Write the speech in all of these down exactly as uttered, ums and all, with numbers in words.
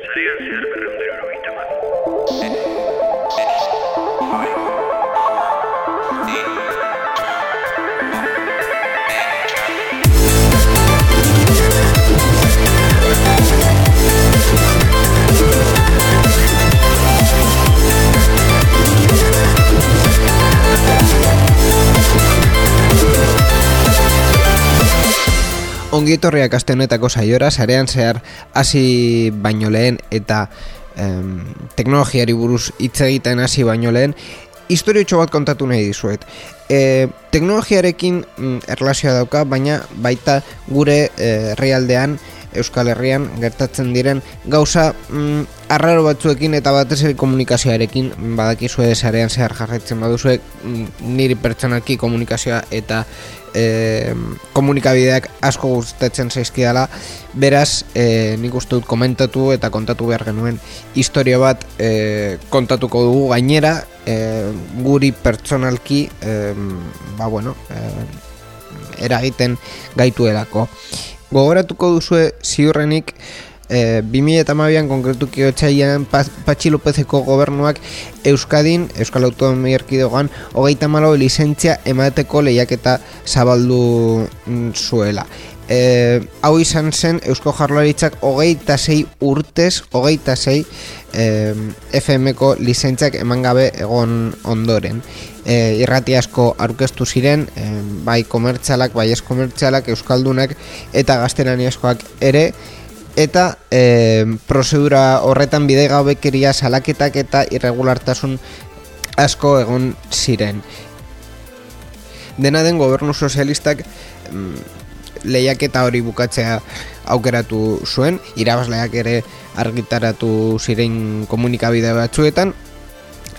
Sarean zehar berrehun eta hirurogeita hamar. Ongietorriak aste honetako saiora, sarean zehar hasi baino lehen eta em, teknologiari buruz hitz egiten hasi baino lehen, historiotxo bat kontatu nahi dizuet. E, teknologiarekin mm, erlazioa dauka, baina baita gure herrialdean, Euskal Herrian gertatzen diren gauza mm, arraro batzuekin eta batez ere komunikazioarekin. Badakizue sarean zehar jarraitzen baduzue, mm, niri pertsonalki komunikazioa eta e, komunikabideak asko gustatzen zaizkidala. Beraz, e, nik uste dut komentatu eta kontatu behar genuen historia bat e, kontatuko dugu. Gainera, e, guri pertsonalki e, ba bueno, e, eragiten gaituelako. Gogoratuko duzue ziurrenik e, bi mila hamabian konkretuki otsailean Patxi Lopezeko gobernuak Euskadin, Euskal Autonomia Erkidegoan, hogeita hamalau lizentzia emateko lehiaketa zabaldu zuela. E, hau izan zen Eusko Jaurlaritzak hogeita sei urtez, hogeita sei e, F M-ko lizentziak eman gabe egon ondoren. E, irrati asko aurkeztu ziren, e, bai komertzialak, bai ez komertzialak, euskaldunak eta gaztelaniazkoak ere, eta e, prozedura horretan bidegabekeria, salaketak eta irregulartasun asko egon ziren. Dena den, gobernu sozialistak mm, lehiaketa hori bukatzea aukeratu zuen, irabazleak ere argitaratu ziren komunikabide batzuetan,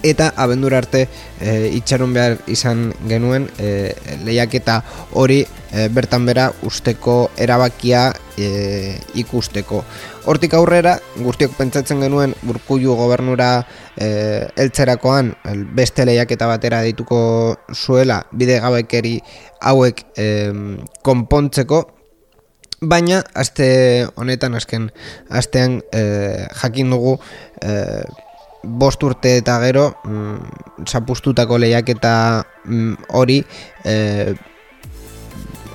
eta abendura arte e, itxaron behar izan genuen e, lehiaketa hori e, bertan bera usteko erabakia e, ikusteko. Hortik aurrera, guztiok pentsatzen genuen Urkullu gobernura e, eltzerakoan beste lehiaketa batera deituko zuela bidegabekeri hauek e, konpontzeko, baina aste honetan, azken astean e, jakin dugu e, bost urte eta gero mm, zapustutako lehiaketa mm, hori e,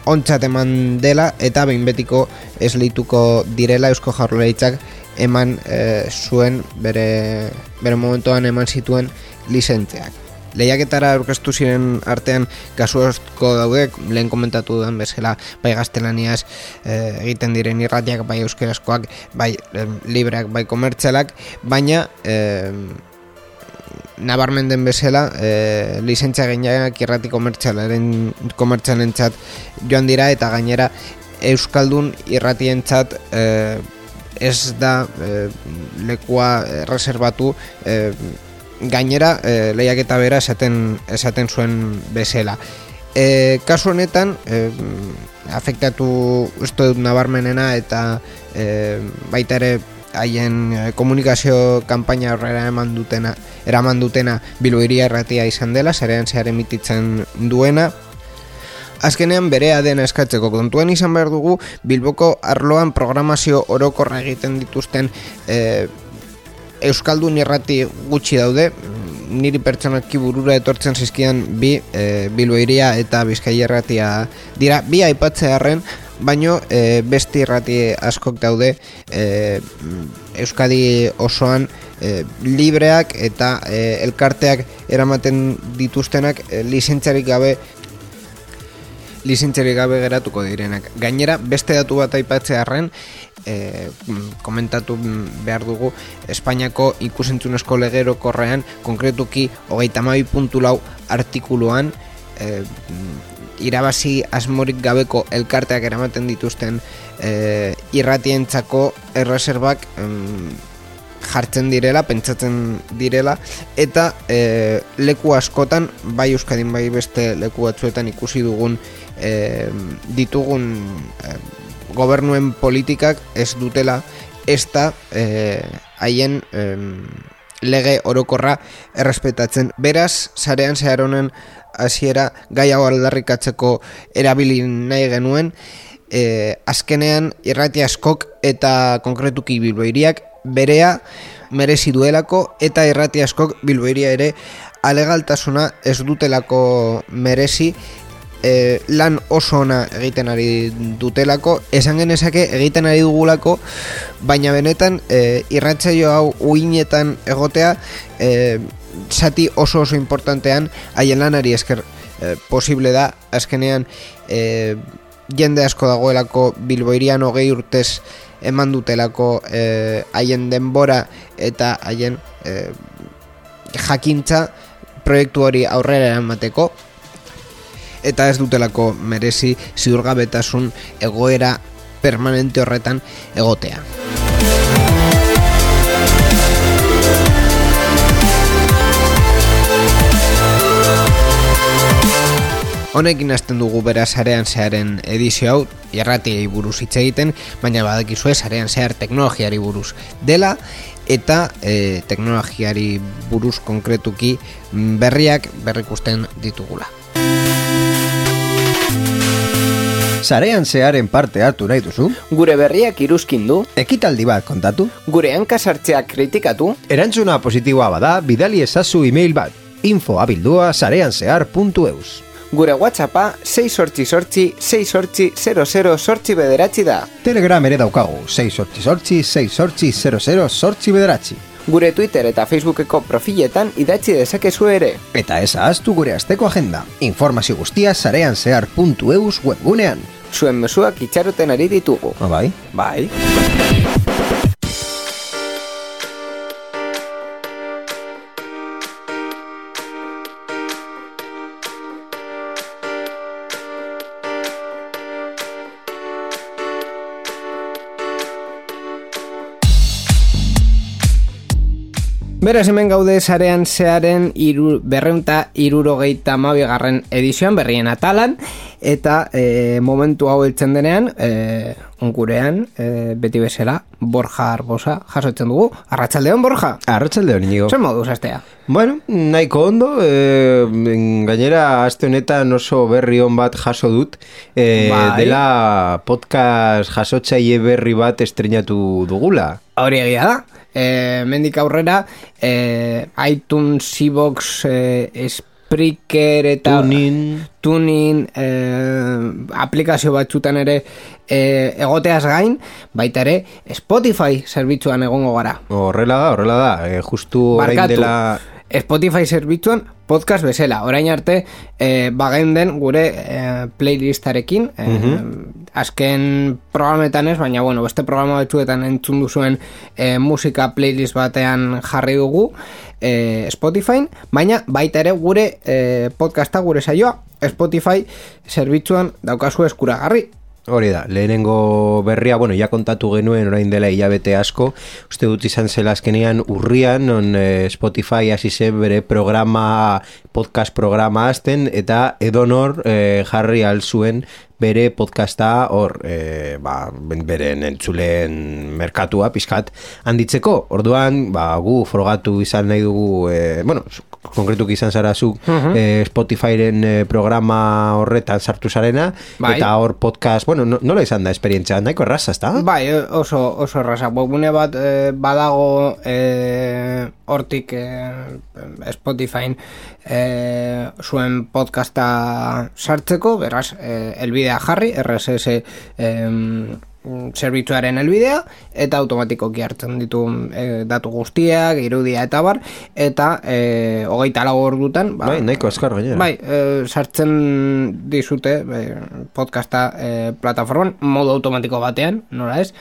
ontzat eman dela eta behin betiko esleituko direla. Eusko Jaurlaritzak eman e, zuen bere, bere momentuan eman zituen lizentziak. Lehiaketara aurkeztu ziren artean kasu asko daude, lehen komentatu dudan bezala, bai gaztelaniaz e, egiten diren irratiak, bai euskerazkoak, bai e, libreak, bai komertzialak, baina e, nabarmen den bezala e, lizentzia gainak irrati komertzialaren komertzialentzat joan dira, eta gainera euskaldun irratientzat e, ez da e, lekua reservatu e, gainera e, lehiaketa bera esaten, esaten zuen bezala. E, kasu honetan e, afektatu uste dut nabarmenena eta e, baita ere haien komunikazio kanpaina horrela eman dutena, eraman dutena Bilbo Hiria Irratia izan dela, sarean zehar emititzen duena. Azkenean berea dena eskatzeko kontuan izan behar dugu Bilboko arloan programazio orokorra egiten dituzten e, euskaldun irrati gutxi daude. Niri pertsonalki burura etortzen zizkidan bi e, Bilbo Hiria eta Bizkaia Irratia dira, bi aipatzearren, baino e, beste irrati askok daude e, Euskadi osoan e, libreak eta e, elkarteak eramaten dituztenak e, lizentziarik gabe lizentziarik gabe geratuko direnak. Gainera, beste datu bat aipatzearren, e, komentatu behar dugu Espainiako ikusentzunezko legerokorrean, konkretuki hogeita hamabi puntu lau artikuluan, e, irabazi asmorik gabeko elkarteak eramaten dituzten e, irratientzako erreserbak em, jartzen direla, pentsatzen direla, eta e, leku askotan, bai Euskadin bai beste leku batzuetan ikusi dugun e, ditugun e, gobernuen politikak ez dutela ez da e, haien e, lege orokorra errespetatzen. Beraz, sarean zehar honen hasiera gai hau aldarrikatzeko erabili nahi genuen. E, azkenean irrati askok eta konkretuki Bilbo Hiriak berea merezi duelako eta irrati askok Bilboiria ere alegaltasuna ez dutelako merezi, e, lan oso ona egiten ari dutelako, esan genezake egiten ari dugulako, baina benetan e, irratsaio hau uinetan egotea e, zati oso oso importantean haien lanari esker e, posible da. Azkenean e, jende asko dagoelako Bilboirian hogei urtez eman dutelako eh, haien denbora eta haien eh, jakintza proiektu hori aurrera eramateko, eta ez dutelako merezi ziurgabetasun egoera permanente horretan egotea. Honekin hasten dugu beraz Sarean Zearen edizio hau, irratiei buruz hitz egiten, baina badakizue Sarean Zehar teknologiari buruz dela, eta e, teknologiari buruz konkretuki berriak berrikusten ditugula. Sarean Zearen parte hartu nahi duzu? Gure berriak iruzkin du? Ekitaldi bat kontatu? Gure hankasartzeak kritikatu? Erantzuna positiboa bada, bidali ezazu email bat, info abildua sareanzehar puntu eus. Gure WhatsAppa sei sortzi sortzi sei sortzi zero zero sortzi bederatzi da. Telegram ere daukagu, sei sortzi sortzi sei sortzi zero zero sortzi bederatzi. Gure Twitter eta Facebookeko profiletan idatzi dezakezu ere. Eta ez ahaztu gure asteko agenda. Informazio guztia sareanzehar puntu eus webgunean. Zuen mezuak itxaroten ari ditugu. Ah, bai? Bai. Beraz, hemen gaude Sarean Zearen iru, berreunta irurogeita mabigarren edizioan, berrien atalan, eta e, momentu hau heltzen denean, e, ongurean, e, beti bezala, Borja Arbosa jasotzen dugu. Arratsaldeon, Borja? Arratsaldeon, Inigo. Zer moduz astea? Bueno, nahiko ondo, e, gainera aste honetan oso berri on bat jaso dut, e, bai. Dela podcast jasotzaile berri bat estrenatu dugula. Hori egia da. E, mendik aurrera e, iTunes, iVoox, e, Spreaker eta Tunin, Tunin e, aplikazio batzutan ere e, egoteaz gain, baita ere Spotify zerbitzuan egongo gara. Horrela da, horrela da, e, justu orain Barkatu, dela... Spotify zerbitzuan podcast bezala. Orain arte e, bagenden gure e, playlistarekin, e, Mhm. azken programetan ez, baina bueno, beste programa batzuetan entzun duzuen e, musika playlist batean jarri dugu e, Spotify, baina baita ere gure e, podcasta, gure saioa Spotify zerbitzuan daukazu eskuragarri. Hori da, lehenengo berria, bueno, ja kontatu genuen orain dela hilabete asko, uste dut izan zela azkenean urrian, on eh, Spotify hasi zen bere programa, podcast programa azten, eta edonor eh, jarri alzuen bere podcasta hor, e, ba, beren entzuleen merkatua pizkat handitzeko. Orduan, ba, gu frogatu izan nahi dugu, e, bueno, konkretuk izan zara zu uh-huh. e, Spotifyren e, programa horretan sartu zarena, bai. Eta hor podcast, bueno, no, nola izan da esperientzia, nahiko erraza, ezta? Bai, oso, oso erraza. Webgune bat e, badago e, hortik e, Spotifyn e, zuen podcasta sartzeko, beraz, e, elbidea jarri, R S S em, zerbitzuaren elbidea, eta automatikoki hartzen ditu e, datu guztiak, irudia eta bar, eta e, hogeita lau ordutan ba, bai, nahiko azkar gainera. Bai, e, sartzen dizute e, podcasta e, plataforman modu automatiko batean, nola ez?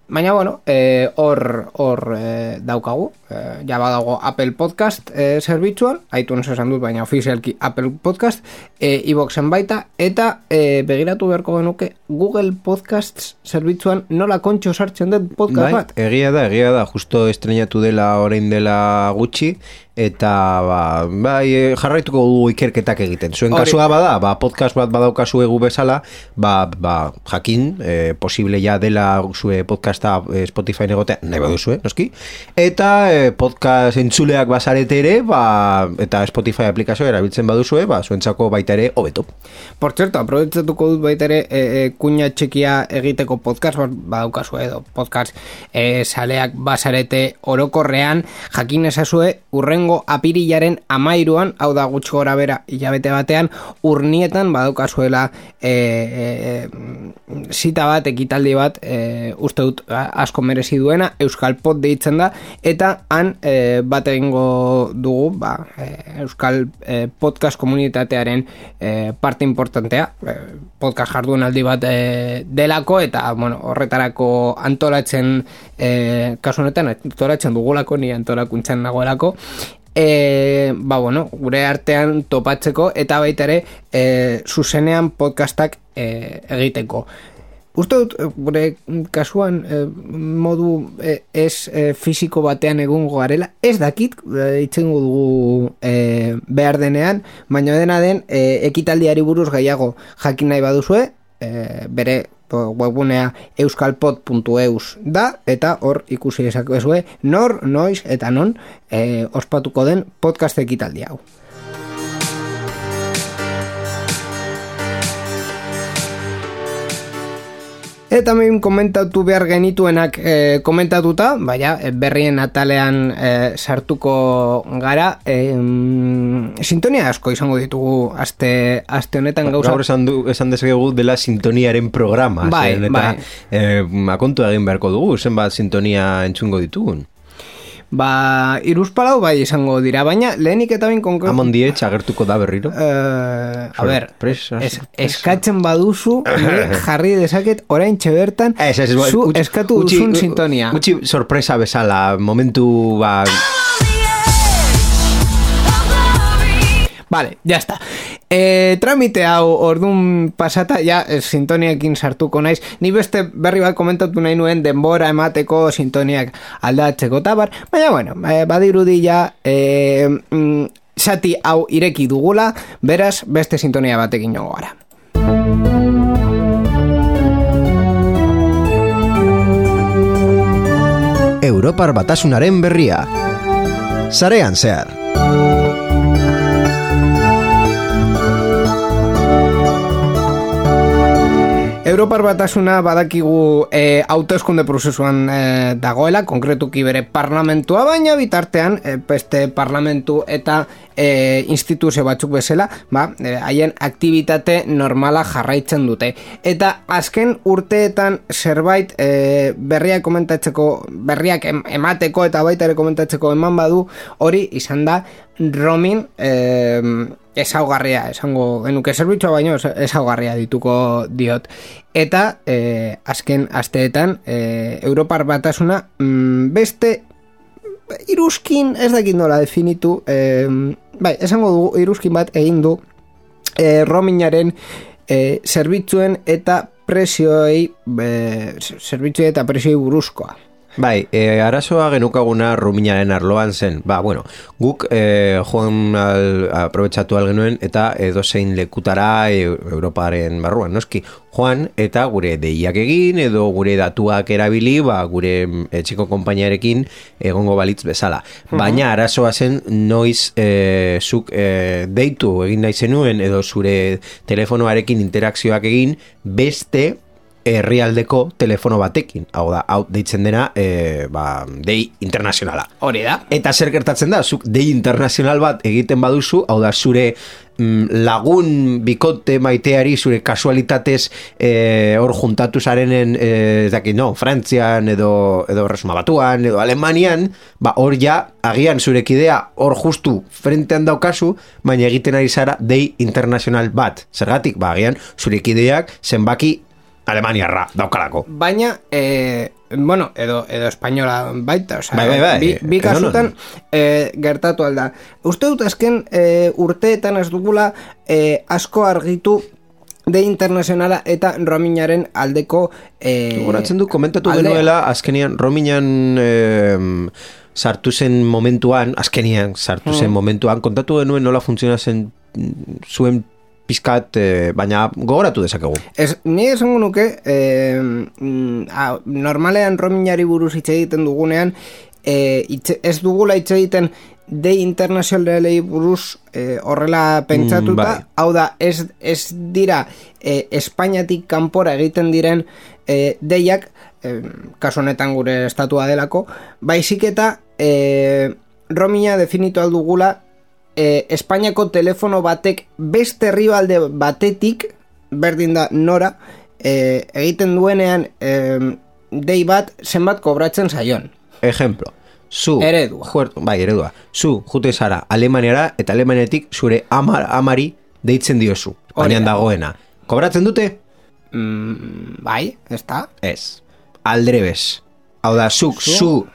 Baina, bueno, eh, hor, hor eh, daukagu, eh, ja badago Apple Podcast eh, zerbitzuan, iTunes esan dut, baina ofizialki Apple Podcast, eh, iVooxen baita, eta eh, begiratu beharko genuke Google Podcasts zerbitzuan nola kontxo sartzen dut podcast bai, bat. Egia da, egia da, justo estrenatu dela orain dela gutxi, eta ba, bai, jarraituko dugu ikerketak egiten. Zuen kasua bada, ba, podcast bat badaukazu egu bezala, ba, ba, jakin, e, posible ja dela zue podcasta e, Spotify egotea, nahi baduzue, noski, eta e, podcast entzuleak bazarete ere, ba, eta Spotify aplikazioa erabiltzen baduzue, ba, zuentzako baita ere hobeto. Por cierto, aprobetzetuko dut baita ere e, e, kuña txekia egiteko podcast bat badaukazu edo podcast e, saleak bazarete orokorrean, jakin ezazue urrengo apirilaren amairuan, hau da gutxi gora bera hilabete batean, urnietan badaukazuela e, e, zita bat, ekitaldi bat, e, uste dut asko merezi duena, Euskal Pod deitzen da, eta han e, bat egingo dugu ba, e, Euskal e, podcast komunitatearen e, parte importantea, e, podcast jardunaldi bat e, delako, eta bueno, horretarako antolatzen e, kasu honetan antolatzen dugulako, ni antolakuntzan nagoelako, E, ba bueno, gure artean topatzeko eta baita ere e, zuzenean podcastak e, egiteko. Uste dut, gure kasuan e, modu e, ez e, fisiko batean egongo garela, ez dakit, e, itzengo dugu e, behar denean, baina dena den e, ekitaldiari buruz gehiago jakin nahi baduzue, e, bere webgunea euskalpod puntu eus da, eta hor ikusi dezakezue nor, noiz eta non e, ospatuko den podcast ekitaldi hau. Eta hemen komentatu behar genituenak e, komentatuta, baina berrien atalean e, sartuko gara, e, sintonia asko izango ditugu aste, aste honetan gauza. Gaur esan, du, esan dezakegu dela sintoniaren programa, bai, zen, eta bai. E, akontu egin beharko dugu, zenbat sintonia entzungo ditugun. Ba, iruzpalau bai izango dira, baina lehenik eta bain konkretu... Amon dietx agertuko da berriro? Uh, a ber, Sorpresa, es, eskatzen baduzu, jarri dezaket orain txebertan, es, es, zu utzi, eskatu utzi, duzun sintonia. Gutxi sorpresa bezala, momentu... Ba... Vale, ya está. E, tramite hau ordun pasata, ja, sintoniakin sartuko naiz. Ni beste berri bat komentatu nahi nuen denbora emateko sintoniak aldatzeko tabar. Baina, bueno, badirudi ja, e, mm, sati hau ireki dugula, beraz, beste sintonia batekin joango gara. Europar Batasunaren berria. Sarean zehar. Europar Batasuna badakigu e, hauteskunde prozesuan e, dagoela, konkretuki bere parlamentua, baina bitartean e, beste parlamentu eta e, instituzio batzuk bezala, ba, e, haien aktivitate normala jarraitzen dute. Eta azken urteetan zerbait e, berriak komentatzeko, berriak em, emateko eta baita ere komentatzeko eman badu, hori izan da roaming eh, ezaugarria, esango genuke zerbitzua baino ezaugarria dituko diot. Eta eh, azken asteetan eh, Europar Batasuna mm, beste iruzkin, ez dakit nola definitu, eh, bai, esango dugu iruzkin bat egin du eh, roamingaren eh, zerbitzuen eta prezioei eh, zerbitzuen eta prezioei buruzkoa. Bai, e, arazoa genukaguna roamingaren arloan zen. Ba, bueno, guk e, joan al, aprobetsatu algenuen eta edozein lekutara e, Europaren barruan, noski. Joan eta gure deiak egin edo gure datuak erabili, ba, gure etxeko konpainiarekin egongo balitz bezala. Baina arazoa zen noiz e, zuk e, deitu egin nahi zenuen edo zure telefonoarekin interakzioak egin beste herrialdeko telefono batekin. Hau da, hau deitzen dena e, ba, dei internazionala. Hori da. Eta zer gertatzen da, zuk dei internazional bat egiten baduzu, hau da, zure mm, lagun bikote maiteari zure kasualitatez e, hor juntatu zarenen, e, ez dakit, no, Frantzian edo, edo Resuma Batuan edo Alemanian, ba, hor ja, agian zure kidea hor justu frentean daukazu, baina egiten ari zara dei internazional bat. Zergatik, ba, agian zure kideak zenbaki Alemaniarra daukalako. Baina, eh, bueno, edo, edo espainola baita, oza, bai, bai, bai. bi, bi kasutan eh, gertatu alda. Uste dut azken eh, urteetan ez dugula eh, asko argitu de internazionala eta roamingaren aldeko eh, Goratzen du, komentatu aldea. genuela, azkenian roamingan eh, sartu zen momentuan, azkenian sartu zen Mm. momentuan, kontatu genuen nola funtzionatzen zuen pizkat, eh, baina gogoratu dezakegu. Ez, ni esango nuke, eh, mm, a, normalean roamingari buruz hitz egiten dugunean, eh, hitz, ez dugula hitz egiten de internazionalei buruz eh, horrela pentsatuta, Mm, bai. hau da, ez, ez dira eh, Espainiatik kanpora egiten diren eh, deiak, eh, kasu honetan gure estatua delako, baizik eta eh, roaminga definitu aldugula eh, Espainiako telefono batek beste herrialde batetik, berdin da nora, eh, egiten duenean eh, dei bat zenbat kobratzen zaion. Ejemplo, zu Eredua. Juert, bai, eredua. Zu jute zara Alemaniara eta Alemaniatik zure ama, amari deitzen diozu. Espainian Hori da. dagoena. Kobratzen dute? Mm, bai, ez da? Ez. Aldrebes. Hau da, zuk, Zu? zu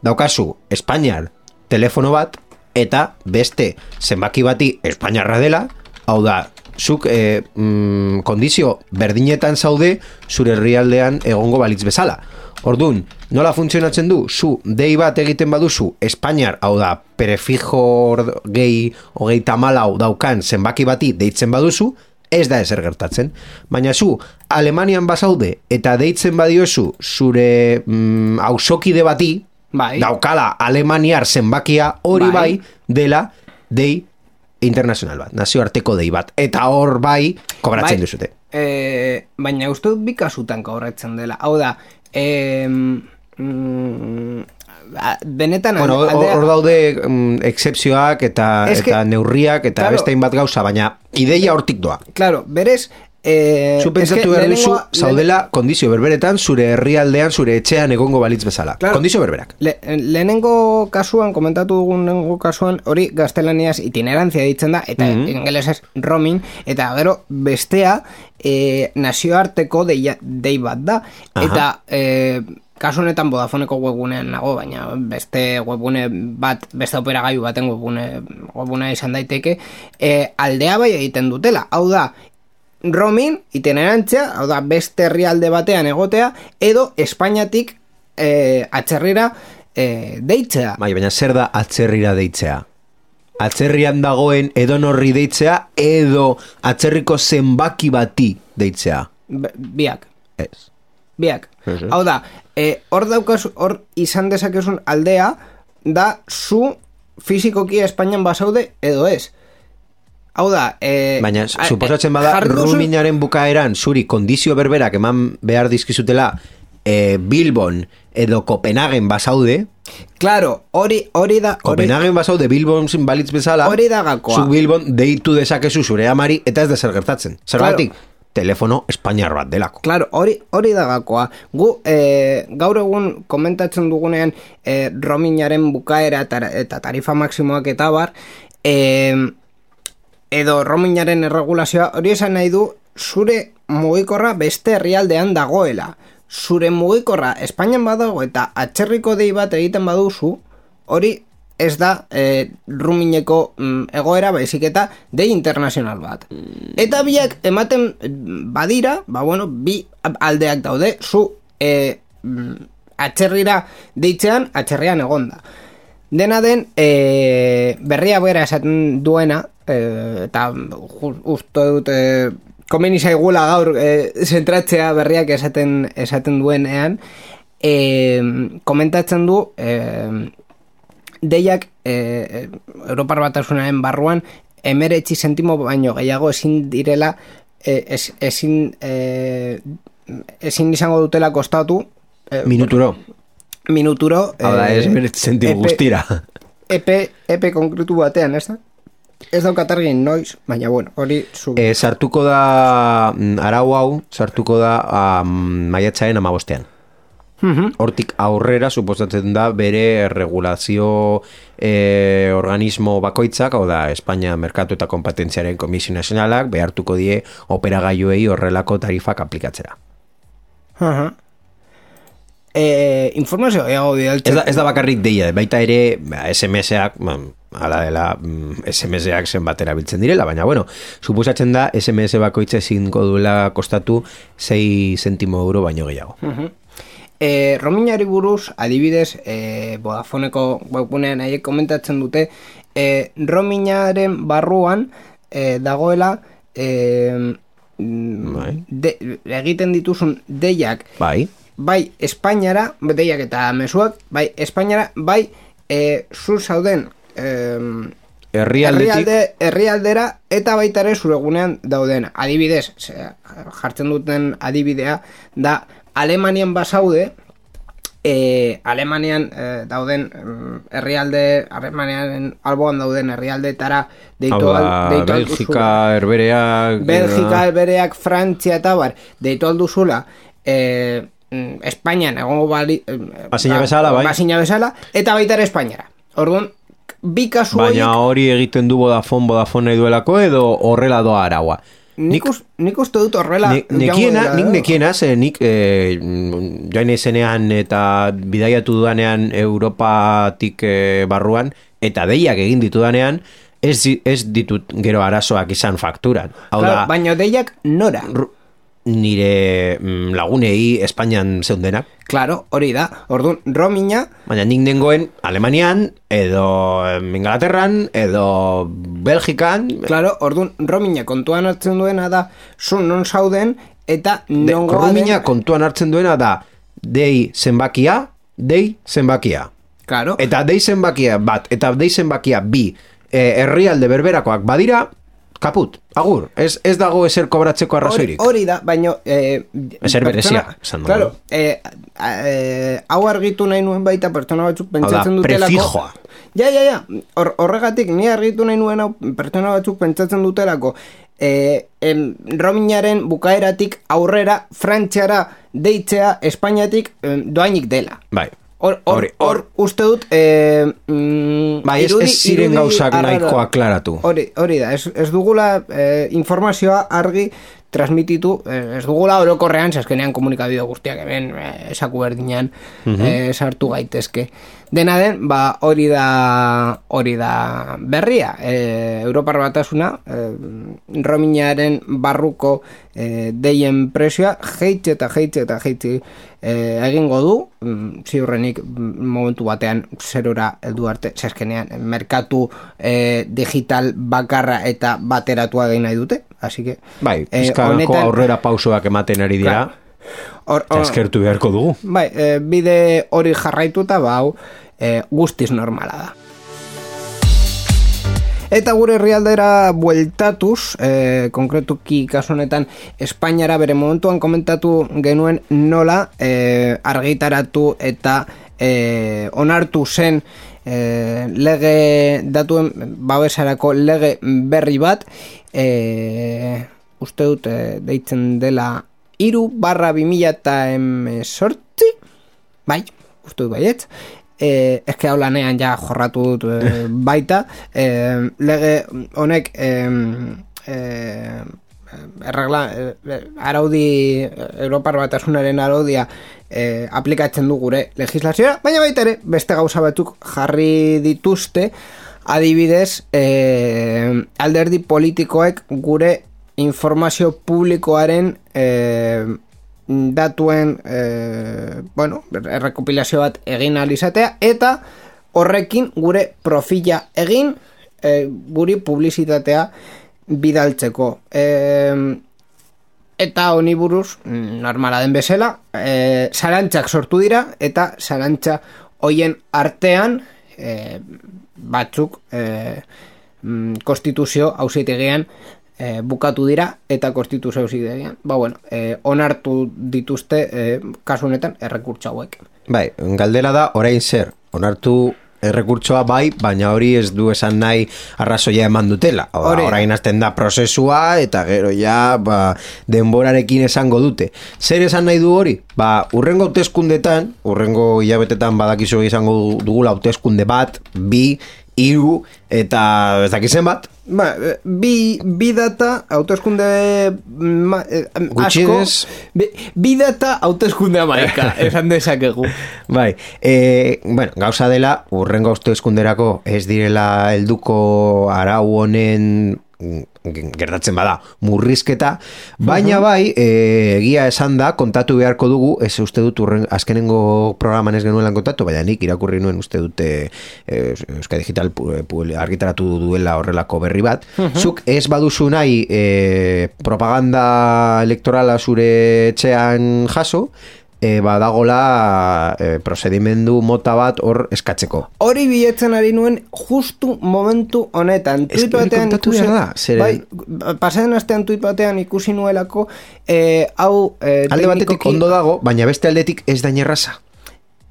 daukazu Espainiar telefono bat eta beste zenbaki bati Espainiarra dela, hau da, zuk eh, mm, kondizio berdinetan zaude zure herrialdean egongo balitz bezala. Ordun, nola funtzionatzen du? Zu dei bat egiten baduzu Espainiar, hau da, prefijo gehi hogeita hamalau daukan zenbaki bati deitzen baduzu, ez da ezer gertatzen. Baina zu Alemanian bazaude eta deitzen badiozu zure mm, auzokide bati, Bai. daukala alemaniar zenbakia hori bai. Bai. dela dei internazional bat, nazioarteko dei bat. Eta hor bai kobratzen Bai, duzute. eh, baina uste dut bi kasutan kobratzen dela. Hau da, eh, mm, benetan Bueno, hor aldea- hor daude mm, excepzioak eta, Es que- eta neurriak eta claro. beste hainbat gauza, baina ideia hortik doa. Claro, berez, eh, Zu pentsatu eske behar duzu, lehenengoa- zaudela kondizio berberetan, zure herrialdean, zure etxean egongo balitz bezala. Claro. Kondizio berberak. Le, lehenengo kasuan, komentatu dugun lehenengo kasuan, hori gaztelaniaz itinerantzia ditzen da, eta Mhm. ingelesez roaming, eta gero bestea eh, nazioarteko deia, dei bat da. Aha. Eta eh, kasu honetan Vodafoneko webgunean nago, baina beste webgune bat, beste operagailu baten webgune, webgunea izan daiteke, eh, aldea bai egiten dutela. Hau da, roaming, itinerantzia, hau da, beste herrialde batean egotea, edo Espainiatik eh, atzerrira eh, deitzea. Bai, baina zer da atzerrira deitzea? Atzerrian dagoen edonorri deitzea edo atzerriko zenbaki bati deitzea? B- biak, Ez. biak. Ez, ez. Hau da, eh, hor daukazu, hor izan dezakezun aldea, da zu fizikoki Espainian basaude edo ez. Hau da, eh, Baina, a- suposatzen eh, bada, jarri duzu- ruminaren bukaeran zuri kondizio berberak eman behar dizkizutela eh, Bilbon edo Kopenhagen basaude, Claro, hori, hori da, hori, Kopenhagen basaude Bilbon balitz bezala, Hori da gakoa. zu Bilbon deitu dezakezu zure amari eta ez da zer gertatzen. Zergatik, telefono espainiar bat delako. Claro, hori, hori da gakoa. Gu, eh, gaur egun komentatzen dugunean eh, roamingaren bukaera eta, eta tarifa maksimoak eta bar, eh, edo roamingaren erregulazioa, hori esan nahi du, zure mugikorra beste herrialdean dagoela. Zure mugikorra Espainian badago eta atzerriko dei bat egiten baduzu, hori ez da eh, roamingeko mm, egoera baizik eta dei internazional bat. Eta biak ematen mm, badira, ba bueno, bi aldeak daude, zu eh, mm, atzerrira deitzean, atzerrian egonda. Dena den, eh, berria bera esaten duena, eh, eta ju- uste dut eh, komeni zaigula gaur eh, zentratzea berriak esaten esaten duenean, eh, komentatzen du eh, deiak eh, Europar Batasunaren barruan emeretzi sentimo baino gehiago ezin direla eh, ez, ezin eh, ezin izango dutela kostatu eh, Minuturo. minuturo Hau da, ez bere zentimo epe- guztira. epe, epe konkretu batean, ez da? Ez daukat argin noiz, baina bueno, hori zu... E, sartuko da, mm, arau hau, sartuko da um, maiatzaren amabostean. Mhm. Hortik aurrera, suposatzen da, bere regulazio eh, organismo bakoitzak, hau da, Espainia Merkatu eta Kompetentziaren Komisio Nazionalak, behartuko die operagailuei horrelako tarifak aplikatzera. Aha. Eh, informazio gehiago Ez bidaltzen. da, ez da bakarrik deia, baita ere ba, S M S-ak ba, ala dela mm, S M S-ak zenbat erabiltzen direla, baina bueno, suposatzen da S M S bakoitza ezingo duela kostatu sei zentimo euro baino gehiago. Uh-huh. E, roamingari buruz, adibidez, e, Vodafoneko webgunean haiek komentatzen dute, e, roamingaren barruan e, dagoela e, bai. de, egiten dituzun deiak, Bai. bai Espainiara, deiak eta mezuak, bai Espainiara, bai e, zu zauden e, Herrialdetik herrialde, herrialdera eta baita ere zure gunean dauden. Adibidez, ze, jartzen duten adibidea da Alemanian basaude, e, Alemanian e, dauden mm, herrialde, Alemanian alboan dauden herrialdeetara deitu Hau al, da, deitu Belgika, Herbereak, Belgika, Herbereak, Frantzia eta bar, deitu alduzula, e, mm, Espainian egongo bali, e, Basina bezala, bai. Basina bezala, eta baita ere Espainiara. Orduan, bi kasu baina horiek- hori egiten du Vodafone, Vodafone nahi duelako edo horrela doa araua. Nik, us, nik uste dut horrela Nik nekiena, nik nekiena, ze nik eh, joan izenean eta bidaiatu dudanean Europatik eh, barruan, eta deiak egin ditudanean, ez, di- ez ditut gero arazoak izan fakturan. Hau Claro, da, baina deiak nora? ru- nire mm, lagunei Espainian zeundenak, Claro, hori da. Orduan, roaminga, baina nik nengoen Alemanian, edo em, Inglaterran, edo Belgikan, claro, orduan, roaminga kontuan hartzen duena da, zu non zauden, eta de, nongoa roamina den... kontuan hartzen duena da, dei zenbakia, dei zenbakia. Claro, Eta dei zenbakia bat, eta dei zenbakia bi, eh, herrialde berberakoak badira, kaput, agur, ez, ez dago ezer kobratzeko hori, arrazoirik. hori da, baina... Eh, Ezer berezia, pertsona- esan dugu. Claro, eh, eh, hau argitu nahi nuen baita pertsona batzuk pentsatzen da, dutelako... prefijoa. Ja, ja, ja, Hor, horregatik ni argitu nahi nuen hau pertsona batzuk pentsatzen dutelako eh, em, roamingaren bukaeratik aurrera Frantziara deitzea Espainiatik em, doainik dela. Bai. Hor, hor, Hori, hor uste dut eh, mm, Bai, ez, irudi- ez ziren irudi gauzak arraroa. nahiko aklaratu. Hori, hori da, ez, ez dugula eh, informazioa argi transmititu, eh, ez dugula orokorrean, azkenean komunikabide guztiak hemen eh, esaku berdinean eh, sartu gaitezke. Dena den, ba, hori da hori da berria. Eh, Europar Batasuna eh, roamingaren barruko eh, deien presioa jeitxe eta jeitxe eta jeitxe eh, egingo du, mm, ziurrenik mm, momentu batean zerora heldu arte, zeskenean merkatu eh, digital bakarra eta bateratua egin nahi dute, así que Bai, eh, pizkako honetan- aurrera pausoak ematen ari dira, Hor- eta hor- eskertu beharko dugu. Bai, e, bide hori jarraituta, ba, hau, e, guztiz normala da. Eta gure herrialdera bueltatuz, e, konkretuki kasu honetan Espainiara bere momentuan komentatu genuen nola e, argitaratu eta e, onartu zen e, lege datuen babesarako lege berri bat, e, uste dut e, deitzen dela iru barra bi mila eta emezortzi, bai, uste dut baietz, eh, eske hau lanean ja jorratu dut eh, baita, eh, lege honek eh, eh, erregla, eh, araudi, Europar Batasunaren araudia eh, aplikatzen du gure legislazioa, baina baita ere, beste gauza batzuk jarri dituzte, adibidez, eh, alderdi politikoek gure informazio publikoaren eh, datuen eh, bueno, errekopilazio bat egin alizatea eta horrekin gure profila egin eh, guri publizitatea bidaltzeko. Eh, eta honi buruz, normala den bezala, eh, zalantzak sortu dira eta zalantza hoien artean eh, batzuk eh, konstituzio auzitegian E, bukatu dira eta konstituzio auzitegian. Ba bueno, e, onartu dituzte e, kasu honetan errekurtso hauek. Bai, galdera da, orain zer, onartu errekurtsoa bai, baina hori ez du esan nahi arrazoia eman dutela. Hau da, Hori da. orain hasten da prozesua eta gero ja ba, denborarekin esango dute. Zer esan nahi du hori? Ba, urrengo hauteskundetan, urrengo hilabetetan badakizu izango dugula hauteskunde bat, bi, hiru eta ez dakizen bat. Ba, bi, bi data hauteskunde ma, eh, asko, bi, bi data hauteskunde amaika, esan dezakegu. Bai, e, bueno, gauza dela, urrengo hauteskunderako ez direla helduko arau honen gertatzen bada murrizketa, baina bai e, egia esan da, kontatu beharko dugu, ez uste dut urren, azkenengo programan ez genuelan kontatu, baina nik irakurri nuen uste dute e, Euskadi Digital pu, pu, argitaratu duela horrelako berri bat. Uh-huh. Zuk ez baduzu nahi e, propaganda elektorala zure etxean jaso, E, badagola e, procedimendu mota bat hor eskatzeko. Hori biletzen ari nuen justu momentu honetan. Ez que hori kontatu behar da. Zere... Bai, pasaden astean tuit batean ikusi nuelako e, hau e, alde batetik ondo dago, baina beste aldetik ez da inerraza.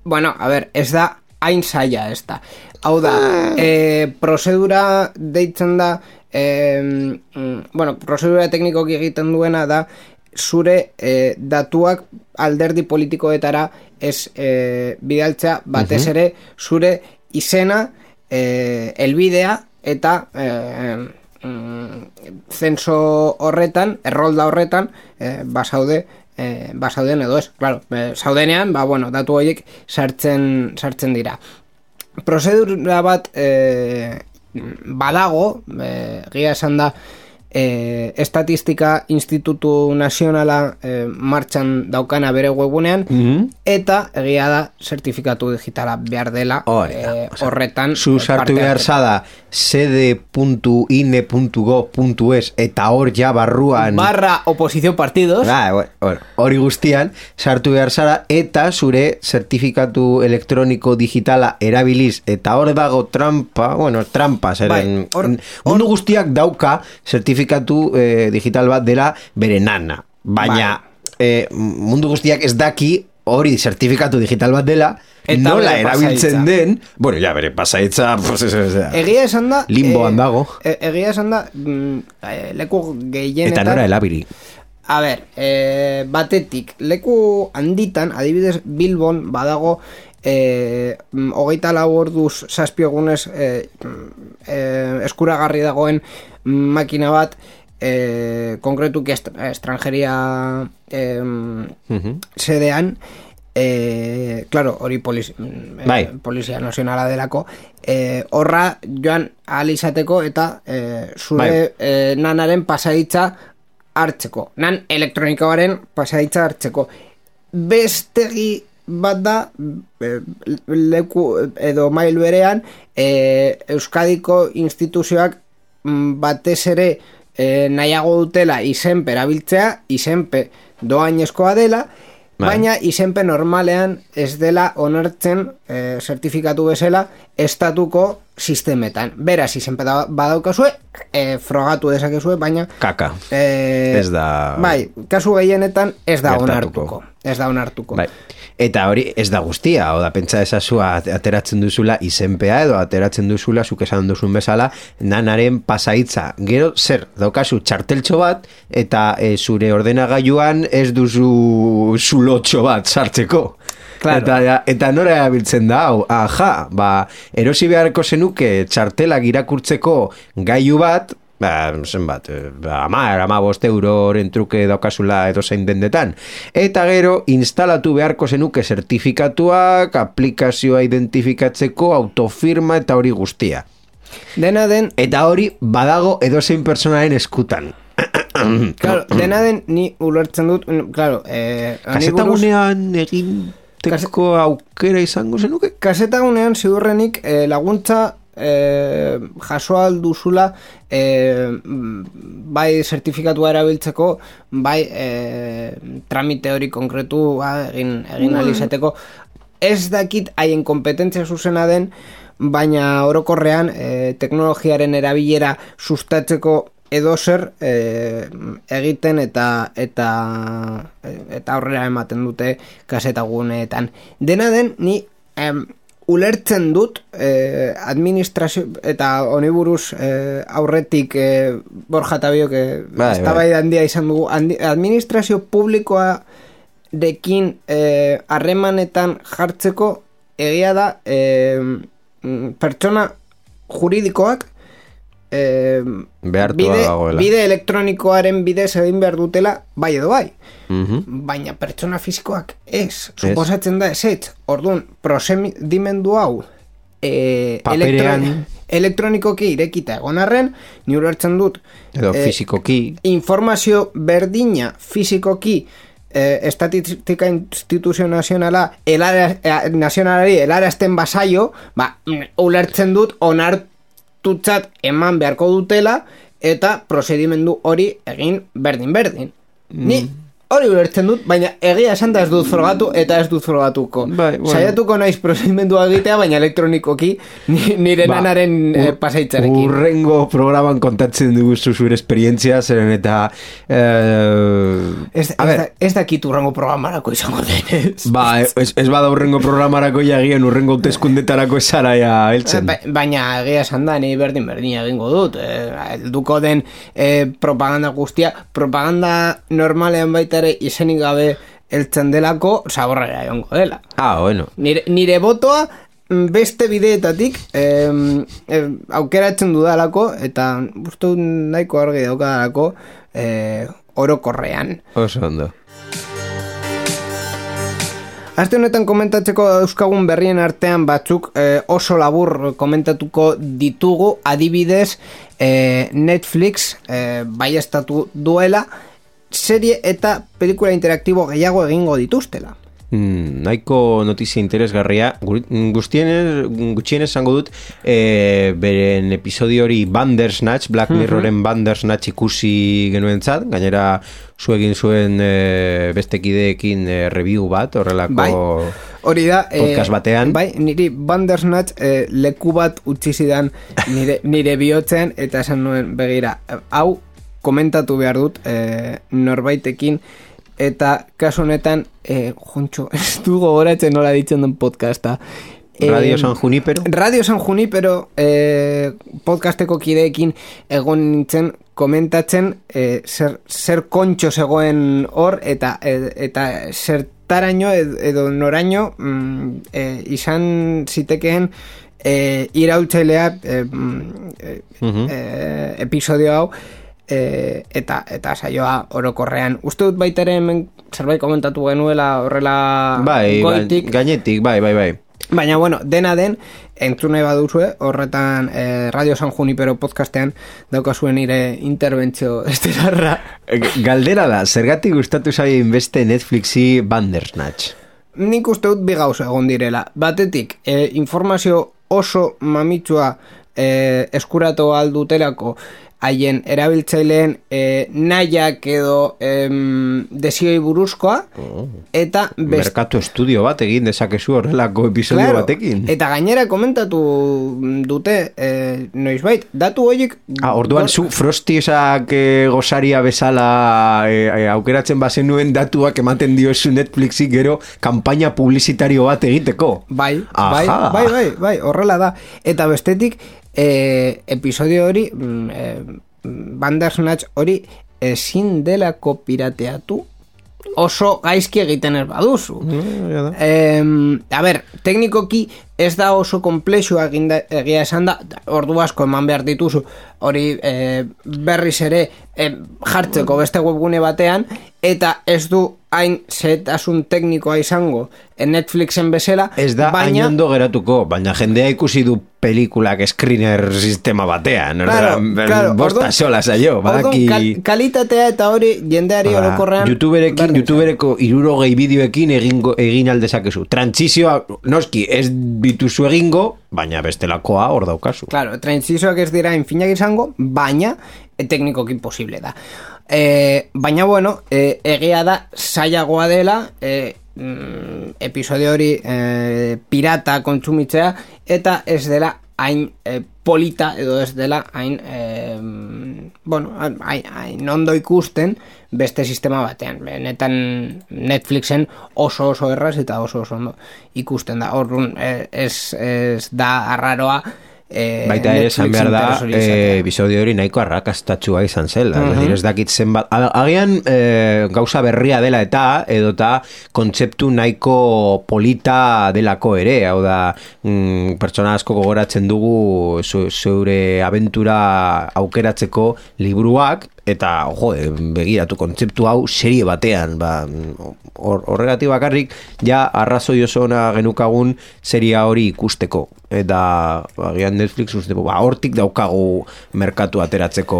Bueno, a ver, ez da hain zaila ez da. Hau da, e, prozedura deitzen da, e, bueno, prozedura teknikoki egiten duena da, zure eh, datuak alderdi politikoetara ez eh, bidaltzea, batez ere zure izena, eh, elbidea eta eh, mm, zenso horretan, errolda horretan eh, basaude eh, basauden edo ez, claro, eh, saudenean, ba, bueno, datu horiek sartzen, sartzen dira. Prozedura bat eh, badago, eh, gira esan da, E, Estatistika Institutu Nazionala e, martxan daukana bere webunean, mm-hmm. eta egia da zertifikatu digitala behar dela oh, e, horretan. Zu sartu behar zada sede puntu ine puntu gov puntu es eta hor ja barruan barra oposición partidos ah, bueno, hori guztian sartu behar zara eta zure zertifikatu elektroniko digitala erabiliz eta hor dago trampa, bueno, trampa zeren, bai, or, mundu or, guztiak dauka zertifikatu eh, digital bat dela bere nana, baina bai. eh, mundu guztiak ez daki hori zertifikatu digital bat dela eta nola erabiltzen den, bueno, ja, bere pasaitza pues, es, es, egia esan da limboan eh, dago e, egia esan da mm, leku gehienetan eta nora elabiri a ber, eh, batetik leku handitan, adibidez Bilbon badago eh, hogeita lau orduz zazpi egunez eh, eh, eskuragarri dagoen makina bat eh, konkretuki est- estrangeria eh, uh-huh. sedean eh, claro, hori poliz, eh, polizia nazionala delako eh, horra joan ahal izateko eta eh, zure eh, nanaren pasaitza hartzeko, nan elektronikoaren pasaitza hartzeko bestegi bat da eh, leku edo mail berean eh, Euskadiko instituzioak batez ere e, nahiago dutela izenpe erabiltzea, izenpe doainezkoa dela, bai. Baina izenpe normalean ez dela onartzen e, zertifikatu bezala estatuko sistemetan. Beraz, izenpe da, badaukazue, e, frogatu dezakezue, baina kaka, e, ez da bai, kasu gehienetan ez da onartuko. Ez da onartuko. Bai. Eta hori ez da guztia, oda pentsa ezazua ateratzen duzula izenpea edo ateratzen duzula, zuk esan duzun bezala, nanaren pasaitza. Gero zer, daukazu txarteltxo bat eta e, zure ordenagailuan ez duzu zulotxo bat sartzeko. Claro. Eta, eta nora erabiltzen da, hau, aha, ba, erosi beharko zenuke txartelak irakurtzeko gailu bat, ba, zenbat, ba, amar, ama bost euroren truke daukazula edo zein dendetan. Eta gero, instalatu beharko zenuke zertifikatuak, aplikazioa identifikatzeko, autofirma eta hori guztia. Dena den... Eta hori badago edozein pertsonaren eskutan. Claro, dena den ni ulertzen dut, claro... Eh, kasetagunean egin teko aukera izango zenuke? Kasetagunean ziurrenik eh, laguntza eh, jasoa duzula eh, bai zertifikatua erabiltzeko, bai eh, tramite hori konkretu ba, egin, egin alizateko. Ez dakit haien kompetentzia zuzena den, baina orokorrean eh, teknologiaren erabilera sustatzeko edo zer eh, egiten eta eta eta aurrera ematen dute kasetaguneetan. Dena den, ni em, ulertzen dut eh, administrazio eta oniburuz eh, aurretik eh, Borja Tabiok eh, eztabaida handia izan dugu, administrazio publikoa dekin eh, harremanetan jartzeko egia da eh, pertsona juridikoak eh, Behartua bide, dagoela. bide elektronikoaren bidez egin behar dutela bai edo bai. Mhm. Baina pertsona fisikoak ez, suposatzen da ez ez. Orduan, prozedimendu hau e, Paperean. elektro, elektronikoki irekita egon arren, ni ulertzen dut Edo eh, fizikoki. informazio berdina fisikoki eh, estatistika instituzio nazionala elara, eh, nazionalari helarazten basaio, ba, ulertzen dut onartutzat eman beharko dutela eta prozedimendu hori egin berdin-berdin. Ni hori ulertzen dut, baina egia esan da ez dut frogatu eta ez dut frogatuko. Bai, bueno. Saiatuko naiz prozedimendua egitea, baina elektronikoki ni- nire Ba, nanaren eh, ur- pasaitzarekin. Urrengo programan kontatzen dugu zure esperientzia, zeren eta eh, Ez, a ez, ber, da, ez dakit urrengo programarako izango denez. ba, ez, ez bada urrengo programarako jagian urrengo hauteskundetarako esara ja heltzen. Ba, baina egia esan da, ni berdin berdin egingo dut. Eh, helduko den eh, propaganda guztia, propaganda normalean baita ere izenik gabe heltzen delako, zaborrera egongo dela. Ah, bueno. Nire, nire botoa beste bideetatik eh, eh, aukeratzen dudalako eta uste dut nahiko argi daukadalako eh, orokorrean. Oso ondo. Aste honetan komentatzeko euskagun berrien artean batzuk eh, oso labur komentatuko ditugu, adibidez eh, Netflix eh, baiestatu duela serie eta pelikula interaktibo gehiago egingo dituztela. Mm, nahiko notizia interesgarria. Guztienez, gutxienez esango dut, e, beren episodio hori Bandersnatch, Black Mirroren Bandersnatch ikusi genuentzat, gainera zu egin zuen e, bestekideekin e, review bat, horrelako Bai, hori da, podcast batean. Bai, niri Bandersnatch eh, leku bat utzi zidan nire, nire bihotzean eta esan nuen begira, hau komentatu behar dut eh, norbaitekin eta kasu honetan eh, jontxo, ez du gogoratzen nola ditzen den podcasta. Radio San Junipero. Radio San Junipero eh, podcasteko kideekin egon nintzen komentatzen eh, zer, zer kontxo zegoen hor eta, ed, eta zertaraino ed, edo noraino mm, eh, izan zitekeen eh, iraultzailea eh, eh, Mhm. eh, episodio hau E, eta eta saioa orokorrean. Uste dut baita ere hemen zerbait komentatu genuela horrela Bai, goitik. gainetik, bai, bai, bai. Baina, bueno, dena den, entzun nahi baduzue, horretan eh, Radio San Junipero podcastean daukazuen nire interbentzio estelarra. Galdera da, zergatik gustatu zaien beste Netflixi Bandersnatch? Nik uste dut bi gauza egon direla. Batetik, eh, informazio oso mamitsua eh, eskuratu aldutelako haien erabiltzaileen eh, nahiak edo em, desioi buruzkoa Oh. eta best... Merkatu estudio bat egin dezakezu horrelako episodio Claro, batekin. eta gainera komentatu dute eh, noizbait, datu horiek Ah, orduan zu Frosty esak e, gozaria bezala e, e, aukeratzen bazen nuen datuak ematen diozu Netflixi gero kanpaina publizitario bat egiteko. bai, Aha. bai, bai, bai, bai, horrela da. Eta bestetik eh, episodio hori mm, eh, Bandersnatch hori ezin delako pirateatu oso gaizki egiten ez baduzu. Eh, a ber, teknikoki ez da oso komplexua eginda, egia esan da, ordu asko eman behar dituzu hori eh, berriz ere eh, jartzeko beste webgune batean eta ez du hain zetasun teknikoa izango Netflixen bezala, Ez da hain baina ondo geratuko, baina jendea ikusi du pelikulak screener sistema batean. Claro, Orduan, claro, bosta orduan- sola zaio, orduan badaki... kal, kalitatea eta hori jendeari Ba, orokorrean YouTuberekin, berdin YouTubereko irurogei bideoekin egingo, egin aldezakezu. Trantsizioa, noski, ez bituzu egingo, baina bestelakoa hor daukazu. Claro, trantsizioak ez dira infinak izango, baina e, teknikoki posible da. E, baina bueno, e, egia da zailagoa dela e, mm, episodio hori e, pirata kontsumitzea eta ez dela hain e, polita edo ez dela hain e, bueno, hain, hain ondo ikusten beste sistema batean. Benetan Netflixen oso oso erraz eta oso oso ondo ikusten da. Orduan ez, ez da arraroa e, baita ere esan behar da e, episodio hori nahiko arrakastatsua izan zela, uh -huh. ez dakit zenbat agian e, gauza berria dela eta edota kontzeptu nahiko polita delako ere, hau da mm, pertsona asko gogoratzen dugu zeure abentura aukeratzeko liburuak, eta jo, begiratu kontzeptu hau serie batean, ba, horregatik bakarrik ja arrazoi oso ona genukagun seria hori ikusteko, eta agian Netflix uste, ba, hortik daukagu merkatu ateratzeko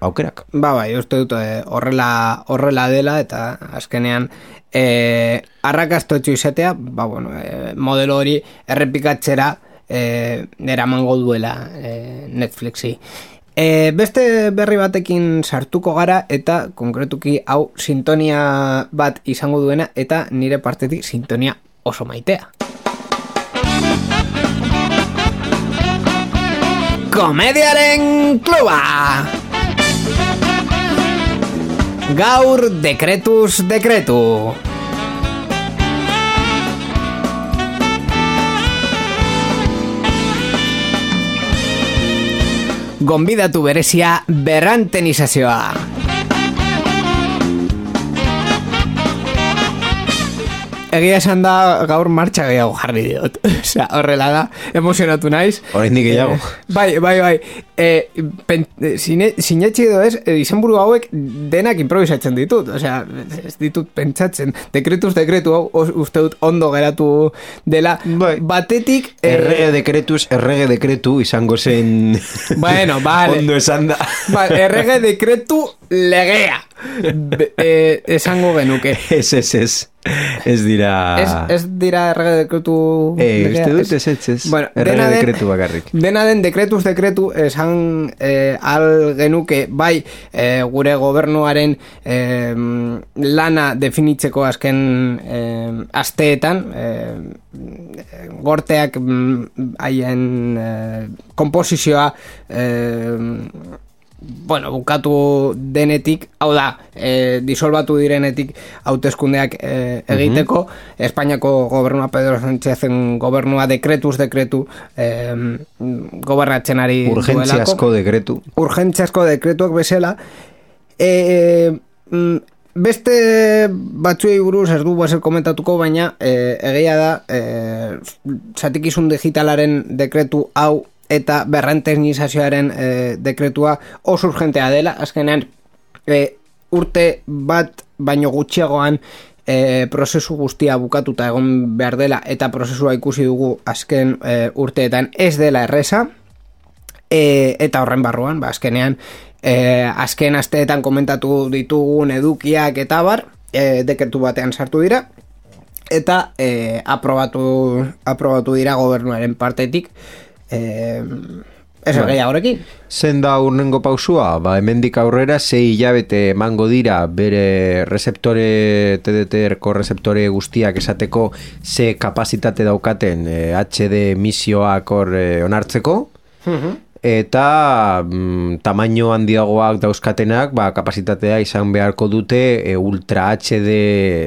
aukerak. Ba, bai, uste dut horrela horrela dela, eta azkenean e, arrakastotxo izatea, ba, bueno, e, modelo hori errepikatzera e, eramango duela e, Netflixi. E, beste berri batekin sartuko gara, eta konkretuki hau sintonia bat izango duena, eta nire partetik sintonia oso maitea. Komediaren kluba! Gaur dekretuz dekretu. Gonbidatu berezia berrantenizazioa. Egia esan da gaur martxa gehiago jarri diot. Osea, horrela da, emozionatu naiz. Oraindik gehiago. Eh, bai, bai, bai. Eh, sinetxe edo ez, izenburu hauek denak improvisatzen ditut. Osea, ez ditut pentsatzen. Dekretuz dekretu hau, uste dut ondo geratu dela. Bai. Batetik... Eh, errege dekretuz, errege dekretu izango zen... Bueno, vale. Ondo esan da. Vale, errege dekretu legea. Be, eh, esango genuke. Ez, ez, ez. Ez dira... Ez, ez dira errege dekretu... Eh, uste dut ez, ez, ez. Bueno, errege dekretu bakarrik. Dena den dekretuz dekretu esan eh, al genuke, bai, eh, gure gobernuaren eh, lana definitzeko azken eh, asteetan, eh, gorteak haien eh, komposizioa eh, bueno, bukatu denetik, hau da, e, disolbatu direnetik hauteskundeak e, egiteko, uh-huh. Espainiako gobernua, Pedro Sánchezen gobernua dekretuz dekretu e, gobernatzen ari duelako. Urgentziazko dekretu. Urgentziazko dekretuak bezala. E, beste batzuei buruz ez du baser komentatuko, baina e, egia da e, zatikizun digitalaren dekretu hau eta berrantenizazioaren e, dekretua oso urgentea dela, azkenean e, urte bat baino gutxiagoan e, prozesu guztia bukatuta egon behar dela, eta prozesua ikusi dugu azken e, urteetan ez dela erreza, e, eta horren barruan, ba, azkenean e, azken asteetan komentatu ditugun edukiak eta bar, e, dekretu batean sartu dira, eta e, aprobatu, aprobatu dira gobernuaren partetik. Eh, ez bai. Gehiago horrekin. Zen da urnengo pausua, ba, hemendik aurrera sei hilabete emango dira bere receptore, T D T-ko receptore guztiak esateko ze kapazitate daukaten eh, H D emisioak hor eh, onartzeko, uh-huh. eta mm, tamaino handiagoak dauzkatenak, ba, kapasitatea izan beharko dute e, ultra H D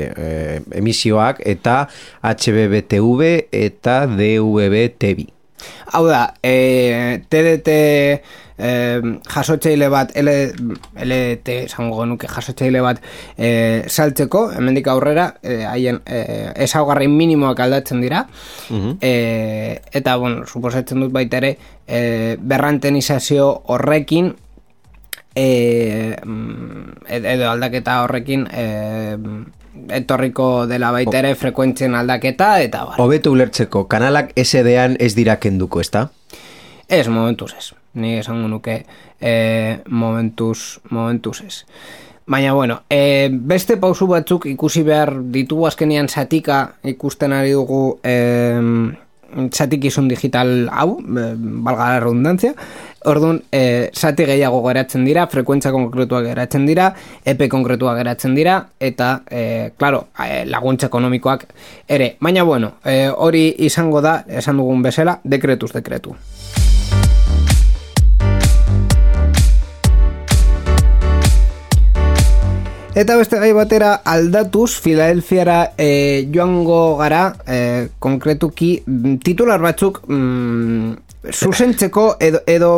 eh, emisioak eta H B B T V eta D V B T V. Hau da, e, T D T e, jasotzeile bat L, L T esango genuke jasotzeile bat e, saltzeko, hemendik aurrera haien e, ezaugarri minimoak aldatzen dira, uh-huh. e, eta bueno, suposatzen dut baita ere e, berrantenizazio horrekin e, edo aldaketa horrekin e, etorriko dela baita ere frekuentzien aldaketa eta bar. Hobeto ulertzeko, kanalak S D-an ez dira kenduko, ezta? Ez, momentuz ez. Ni esango nuke eh, momentuz, momentuz ez. Baina, bueno, eh, beste pausu batzuk ikusi behar ditugu azkenian zatika ikusten ari dugu eh, zatikizun digital hau, eh, valga la redundancia. Orduan, e, zati gehiago geratzen dira, frekuentzia konkretuak geratzen dira, epe konkretuak geratzen dira, eta, e, claro, e, laguntza ekonomikoak ere. Baina, bueno, e, hori izango da, esan dugun bezala, dekretuz dekretu. Eta beste gai batera aldatuz, Filadelfiara e, joango gara, e, konkretuki, titular batzuk mm, zuzentzeko edo, edo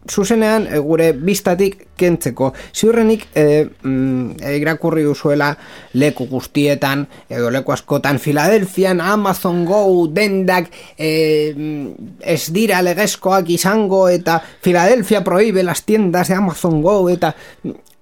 zuzenean e, gure bistatik kentzeko. Ziurrenik e, mm, irakurri duzuela leku guztietan edo leku askotan Filadelfian Amazon Go dendak e, ez dira legezkoak izango eta Filadelfia prohíbe las tiendas de Amazon Go eta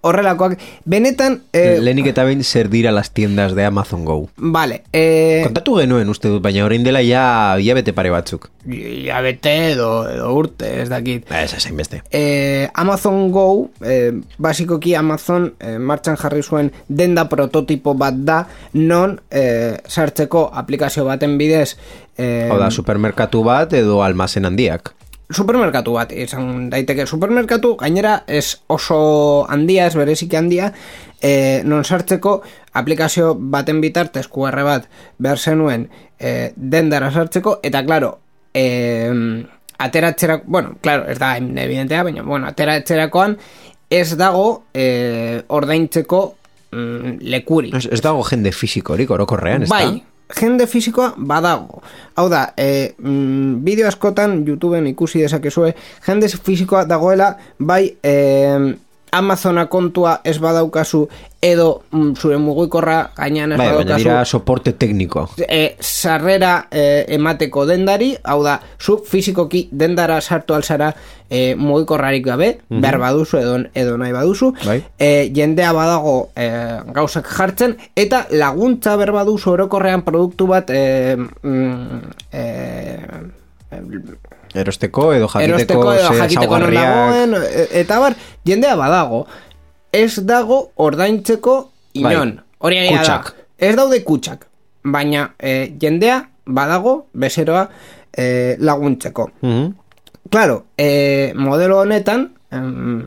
horrelakoak, benetan eh, lehenik eta behin zer dira las tiendas de Amazon Go. Vale, eh, kontatu genuen uste dut, baina orain dela ja hilabete pare batzuk. Hilabete edo, edo urte, ez dakit. Ez esain beste. Eh, Amazon Go, eh, basikoki Amazon eh, martxan jarri zuen denda prototipo bat da, non eh, sartzeko aplikazio baten bidez eh, Hau da, supermerkatu bat edo almazen handiak. Supermerkatu bat, izan daiteke supermerkatu, gainera ez oso handia, ez bereziki handia, e, non sartzeko aplikazio baten bitartez Q R bat behar zenuen e, dendara sartzeko, eta klaro, e, ateratzerak, bueno, klaro, ez da evidentea, baina, bueno, ateratzerakoan ez dago e, ordaintzeko mm, lekurik. Ez, ez dago jende fisikorik orokorrean, ez da? Bai, jende fisikoa badago. Hau da, e, mm, bideo askotan YouTubeen ikusi dezakezue, jende fisikoa dagoela, bai e, Amazona kontua ez badaukazu edo mm, zure mugikorra gainean ez bai, badaukazu. Baina dira soporte tekniko. E, sarrera e, emateko dendari, hau da, zu fisikoki dendara sartu alzara e, mugikorrarik gabe, mm-hmm. behar baduzu edo, edo nahi baduzu, bai. e, jendea badago e, gauzak jartzen, eta laguntza behar baduzu orokorrean produktu bat e, mm, e, erosteko edo jakiteko, erosteko edo jakiteko non dagoen, eta bar, jendea badago. Ez dago ordaintzeko inon. Bai. Hori egia da. Ez daude kutxak. Baina e, jendea badago bezeroa e, laguntzeko. Mm-hmm. Claro, e, modelo honetan em,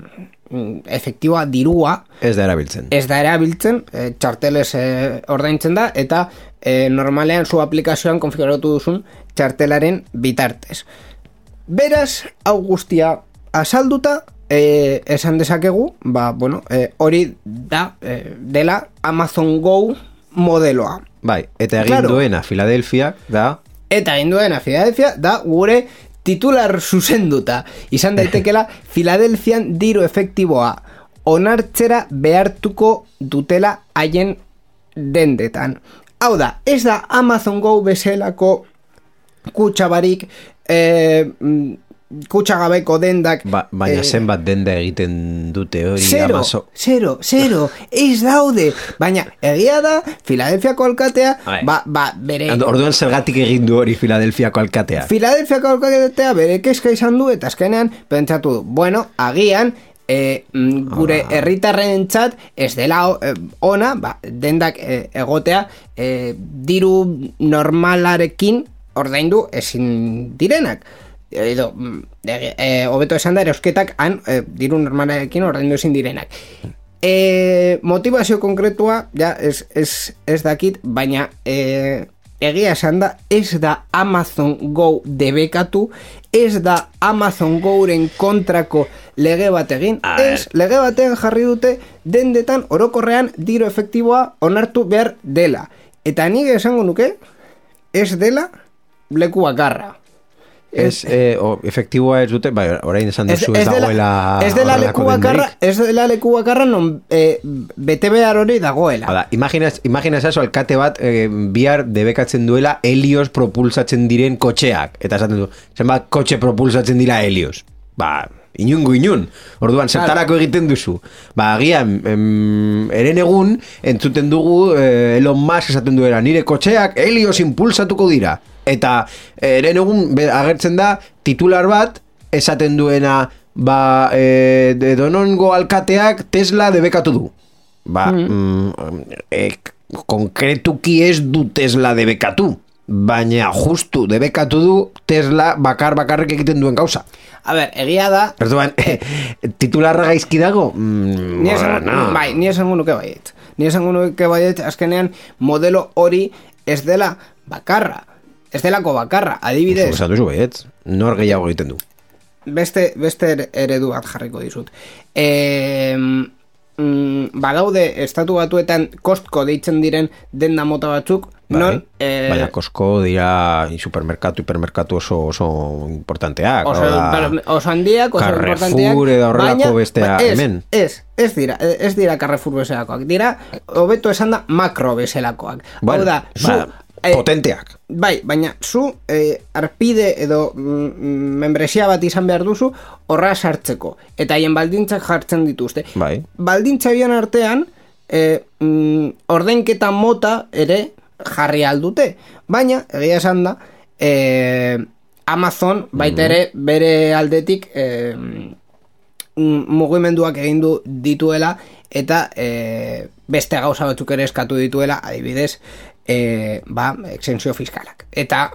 efektiboa dirua ez da erabiltzen. Ez da erabiltzen, e, txartelez e, ordaintzen da, eta e, normalean zu aplikazioan konfiguratu duzun txartelaren bitartez. Beraz, hau guztia azalduta, e, esan dezakegu, ba, bueno, e, hori da, e, dela Amazon Go modeloa. Bai, eta egin Claro. duena Filadelfia da... Eta egin duena Filadelfia da gure titular zuzenduta. Izan daitekela Filadelfian diru efektiboa onartzera behartuko dutela haien dendetan. Hau da, ez da Amazon Go bezalako kutsabarik, eh, kutsagabeko dendak... Ba, baina eh, zenbat denda egiten dute hori Zero, Amazon... zero, zero, ez daude. Baina egia da, Filadelfiako alkatea, Bai. ba, ba, bere... Orduan zergatik egin du hori Filadelfiako alkatea. Filadelfiako alkatea bere kezka izan du, eta azkenean pentsatu du, bueno, agian... E, mm, gure herritarren txat ez dela e, ona, ba, dendak e, egotea e, diru normalarekin ordaindu ezin direnak edo e, e, hobeto esan da erosketak han e, diru normalarekin ordaindu ezin direnak. E, motivazio konkretua ja ez, ez, ez dakit, baina e, egia esan da, ez da Amazon Go debekatu, ez da Amazon Goren kontrako lege bat egin, ez lege batean jarri dute dendetan orokorrean diru efektiboa onartu behar dela. Eta nik esango nuke, ez dela leku bakarra. Ez, eh, o, efektiboa ez dute, bai, orain esan duzu ez, ez dela, dagoela... ez dela leku bakarra, denderik. ez dela leku bakarra non e, bete behar hori dagoela. Hala, imaginaz, imaginaz eso, alkate bat eh, bihar debekatzen duela helios propulsatzen diren kotxeak. Eta esaten du, zenbat kotxe propulsatzen dira helios. Ba, inungo inun. Orduan, zertarako egiten duzu. Ba, agian, em, eren egun, entzuten dugu eh, Elon Musk esaten duela, nire kotxeak helios impulsatuko dira. Eta eren egun agertzen da titular bat esaten duena ba, e, de donongo alkateak Tesla debekatu du. Ba, mm. Mm, e, konkretuki ez du Tesla debekatu, baina justu debekatu du Tesla bakar bakarrik egiten duen gauza. A ber, egia da... Erduan, eh, titularra gaizki dago? Mm, Ni esango, bueno. bai, ni esango nuke baiet. Ni esango nuke baiet, azkenean modelo hori ez dela bakarra. Ez delako bakarra, adibidez. Esan duzu baiet, nor gehiago egiten du. Beste, beste eredu bat jarriko dizut. E, mm, badaude estatu batuetan Costco deitzen diren denda mota batzuk, Non, eh, baina Costco dira supermerkatu, hipermerkatu oso, oso importanteak. Oso, da, oso handiak, oso importanteak. Carrefour edo horrelako bestea ez, hemen. Ez, ez dira, ez dira Carrefour bezalakoak. Dira, hobeto esan da, makro bezalakoak. Bueno, Hau da, zu... ba, Eh, potenteak. Bai, baina zu eh, arpide edo mm, membresia bat izan behar duzu horra sartzeko. Eta haien baldintzak jartzen dituzte. Bai. Baldintza bion artean eh, mm, ordainketa mota ere jarri aldute. Baina, egia esan da, eh, Amazon baita ere bere aldetik eh, mugimenduak egin du dituela eta eh, beste gauza batzuk ere eskatu dituela, adibidez, E, ba, exensio fiskalak. Eta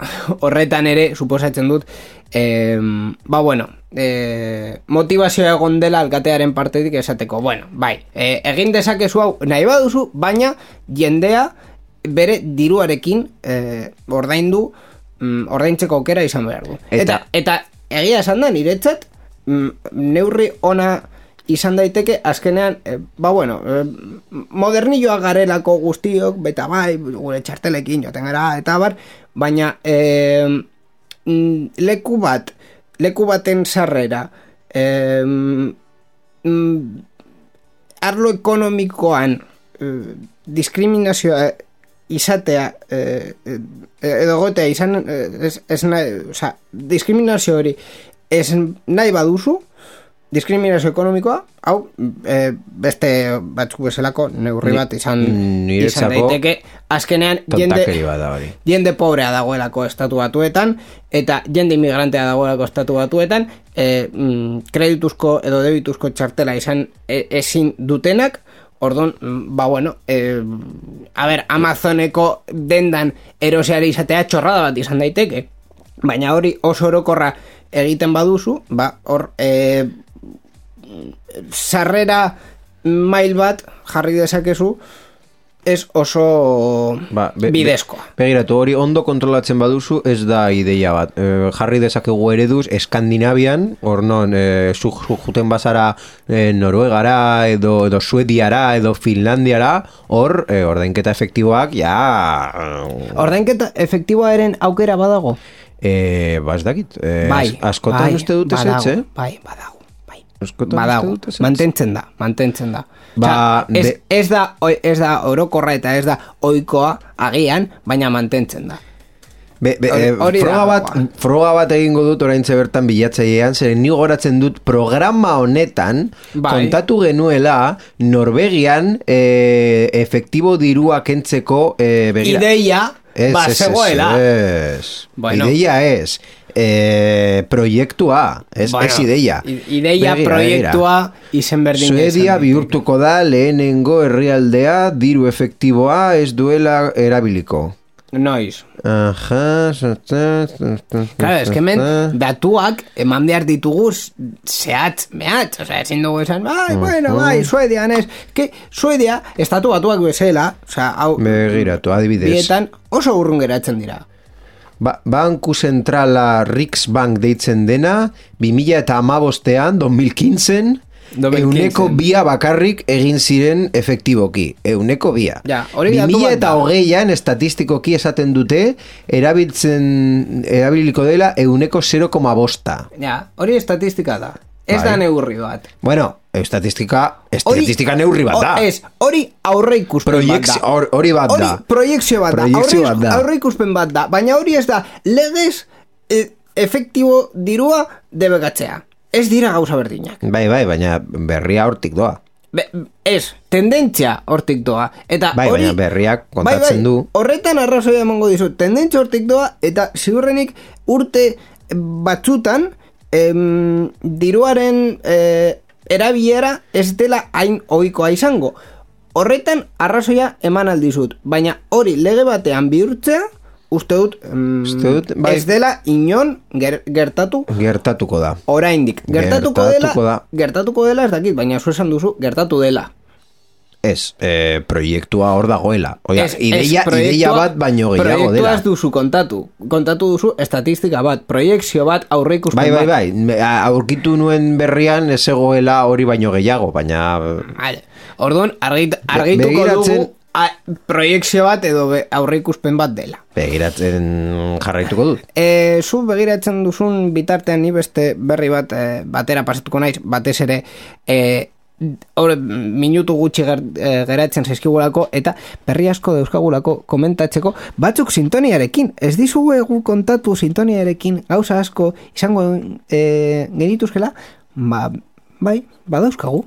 horretan ere, suposatzen dut, e, ba, bueno, e, motivazioa egon dela alkatearen partetik esateko, bueno, bai, e, egin dezakezu hau nahi baduzu, baina jendea bere diruarekin e, ordaindu, mm, ordaintzeko aukera izan behar du. Eta, eta, eta egia esan da, niretzat, mm, neurri ona izan daiteke, azkenean, eh, ba bueno, eh, modernilloa garelako guztiok, beta bai, gure txartelekin joten gara, eta bar, baina eh, leku bat, leku baten sarrera, eh, arlo ekonomikoan eh, diskriminazioa izatea, eh, edo gotea izan, eh, ez, ez nahi, oza, diskriminazio hori ez nahi baduzu, diskriminazio ekonomikoa, hau, e, beste batzuk bezalako neurri bat izan, izan daiteke, azkenean jende, jende pobrea dagoelako estatu batuetan, eta jende inmigrantea dagoelako estatu batuetan, e, mm, kredituzko edo debituzko txartela izan e, ezin dutenak, orduan, ba bueno, e, a ber, Amazoneko dendan eroseari izatea txorrada bat izan daiteke, baina hori oso orokorra egiten baduzu, ba, hor, e, sarrera mail bat jarri dezakezu ez oso ba, be, bidezkoa. Be, begiratu, hori ondo kontrolatzen baduzu ez da ideia bat. E, jarri dezakegu ereduz Eskandinavian, hor non, e, zu, zu juten bazara e, Noruegara edo, edo Suediara edo Finlandiara, hor e, ordainketa efektiboak, ja... Ordainketa efektiboaren aukera badago? E, ba ez dakit, e, bai, askotan bai, uste dute zetze? Bai, badago. Eskotan badago, mantentzen da, mantentzen da. Ba, Osa, ez, de... ez, da, ez da orokorra eta ez da ohikoa agian, baina mantentzen da. Be, be, Hori, hori froga, bat, froga bat egingo dut oraintze bertan bilatzailean, zeren ni goratzen dut programa honetan bai. Kontatu genuela Norvegian e, efektibo dirua kentzeko e, begira. Ideia, es, ba, es, zegoela. Es, bueno. Ideia ez. E, proiektua, ez, bueno, ez ideia. Ideia begira, proiektua izen berdin. Suedia bihurtuko da lehenengo herrialdea diru efektiboa ez duela erabiliko. Noiz. Aha. Claro, es que men, datuak eman behar ditugu zehatz, mehatz. O sea, ezin dugu esan, bai, bueno, bai, Suedia, nes. Que Suedia, estatu batuak bezala, o sea, hau... Begiratu, adibidez. Bietan oso urrun geratzen dira. Ba, Banku Zentrala Riksbank deitzen dena, bi mila eta hamabostean, dos mil quince, euneko bia bakarrik egin ziren efektiboki. Euneko bia. Ja, hori bi mila eta hogeian estatistikoki esaten dute, erabiltzen, erabiliko dela euneko zero koma bosta. Ja, hori estatistika da. Ez bai. Da neurri bat. Bueno, estatistika, estatistika ori, neurri bat da. Ez, hori aurre ikuspen Proiekz, bat da. Hori bat da. Hori proiekzio bat proiekzio da. Aurre, bat da. Aurre ikuspen bat da. Baina hori ez da, legez e, efektibo dirua debegatzea. Ez dira gauza berdinak. Bai, bai, baina berria hortik doa. Be, ez, tendentzia hortik doa. Eta bai, hori, baina berriak kontatzen bai, bai, du. Horretan arrazoia emango dizu. Tendentzia hortik doa eta ziurrenik urte batzutan Em, diruaren eh, erabilera ez dela hain ohikoa izango. Horretan arrazoia eman aldizut, baina hori lege batean bihurtzea uste dut, em, dut bai. Ez dela inon ger, gertatu gertatuko da. Oraindik gertatuko, gertatuko dela da. Gertatuko dela ez dakit, baina zu esan duzu gertatu dela. Ez, eh, proiektua hor dagoela. Oia, es, ideia, es ideia bat baino gehiago dela. Proiektua ez duzu kontatu. Kontatu duzu estatistika bat, proiekzio bat, aurre ikusten bai, bat. Bai, bai, bai. Aurkitu nuen berrian ez egoela hori baino gehiago, baina... Vale. Orduan, argit, argituko dugu a, proiekzio bat edo be, aurreikuspen bat dela. Begiratzen jarraituko dut. E, zu begiratzen duzun bitartean ni beste berri bat e, batera pasatuko naiz, batez ere e, Hore, minutu gutxi ger, e, geratzen zaizkigulako eta berri asko dauzkagulako komentatzeko batzuk sintoniarekin. Ez dizugu egu kontatu sintoniarekin gauza asko izango e, genituzkela? Ba, bai, badauzkagu.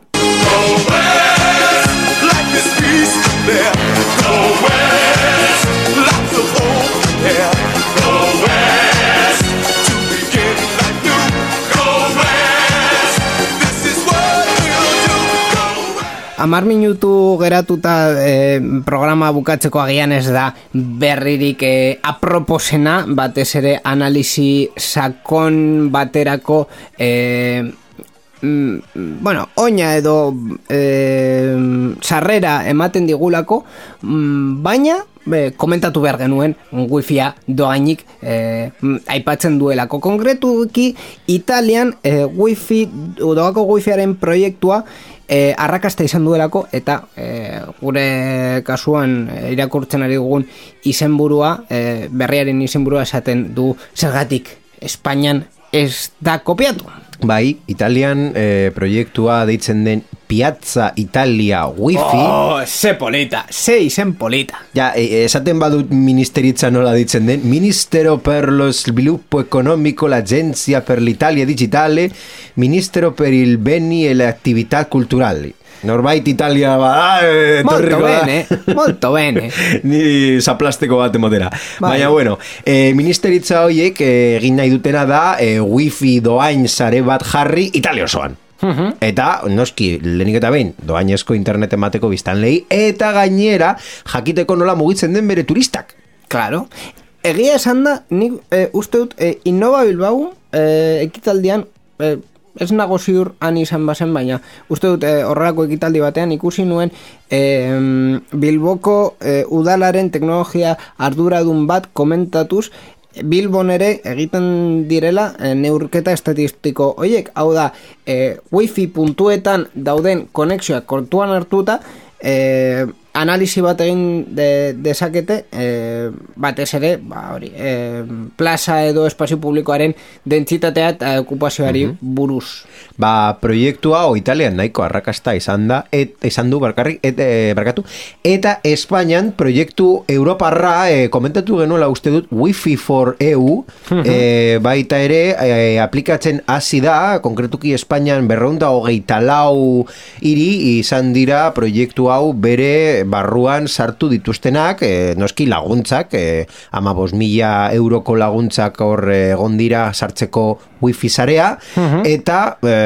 Amar minutu geratuta e, programa bukatzeko agian ez da berririk e, aproposena, batez ere analisi sakon baterako e, mm, bueno, oina edo e, sarrera ematen digulako, mm, baina Be, komentatu behar genuen wifia doainik eh, aipatzen duelako. Konkretuki Italian eh, wifi doako wifiaren proiektua eh, arrakasta izan duelako eta eh, gure kasuan eh, irakurtzen ari dugun izenburua eh, berriaren izenburua esaten du zergatik Espainian ez da kopiatu. Bai, Italian eh, proiektua deitzen den Piazza Italia Wifi. Oh, ze polita, ze izen polita. Ja, eh, esaten badut ministeritza nola ditzen den, Ministero per lo sviluppo economico, l'Agenzia per l'Italia Digitale, Ministero per il beni e le attività culturali. Norbait Italia bada, eh, molto bene, molto bene. Ni zaplasteko bat emotera. Bai. Baina, bueno, eh, ministeritza horiek eh, egin nahi dutena da eh, wifi doain sare bat jarri Italia osoan. Uh-huh. Eta, noski, lehenik eta behin, doainezko internet emateko biztanlei, eta gainera, jakiteko nola mugitzen den bere turistak. Claro. Egia esan da, nik eh, uste dut, eh, Innova Bilbao eh, ekitaldian, eh, ez nago ziur han izan bazen, baina uste dut eh, horrelako ekitaldi batean ikusi nuen eh, Bilboko eh, udalaren teknologia arduradun bat komentatuz Bilbon ere egiten direla eh, neurketa estatistiko hoiek, hau da eh, wifi puntuetan dauden konexioak kontuan hartuta eh, analisi bat egin de, dezakete eh, batez ere ba, hori, eh, plaza edo espazio publikoaren dentsitatea eta okupazioari uh-huh. buruz. Ba, proiektua o Italian nahiko arrakasta izan da, et, izan du barkarrik, et, e, barkatu, eta Espainian proiektu Europarra e, komentatu genuela uste dut Wi-Fi for E U, uh-huh. e, baita ere e, aplikatzen hasi da, konkretuki Espainian berreunda hogeita lau hiri izan dira proiektu hau bere barruan sartu dituztenak, e, noski laguntzak, e, ama bost mila euroko laguntzak hor egon dira sartzeko wifi sarea, uh-huh. eta e,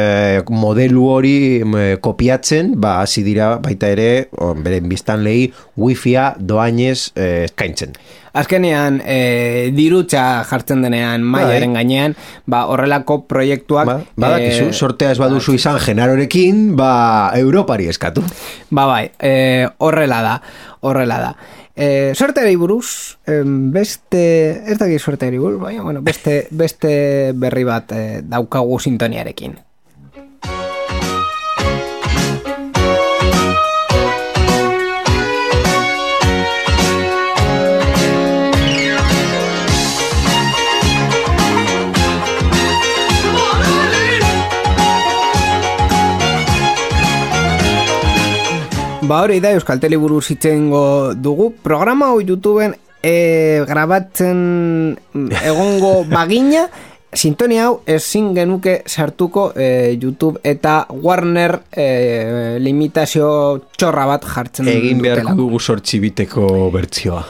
modelu hori e, kopiatzen, ba, hasi dira baita ere, on, beren biztanlei wifia doainez e, eskaintzen. Azkenean, e, dirutza jartzen denean maiaren gainean, ba, horrelako proiektuak... Ba, badakizu, e, sortea ez baduzu izan Genarorekin, ba, Europari eskatu. Ba, bai, e, horrela da, horrela da. E, sorteari buruz, e, beste, ez dakit sorteari buruz, baina, bueno, beste, beste berri bat e, daukagu sintoniarekin. Ba hori da, Euskalteli buruz itzengo dugu. Programa hori YouTubeen e, grabatzen egongo bagina, sintonia hau ezin genuke sartuko e, YouTube eta Warner e, limitazio txorra bat jartzen dutela. Egin beharko dugu sortxibiteko bertzioa.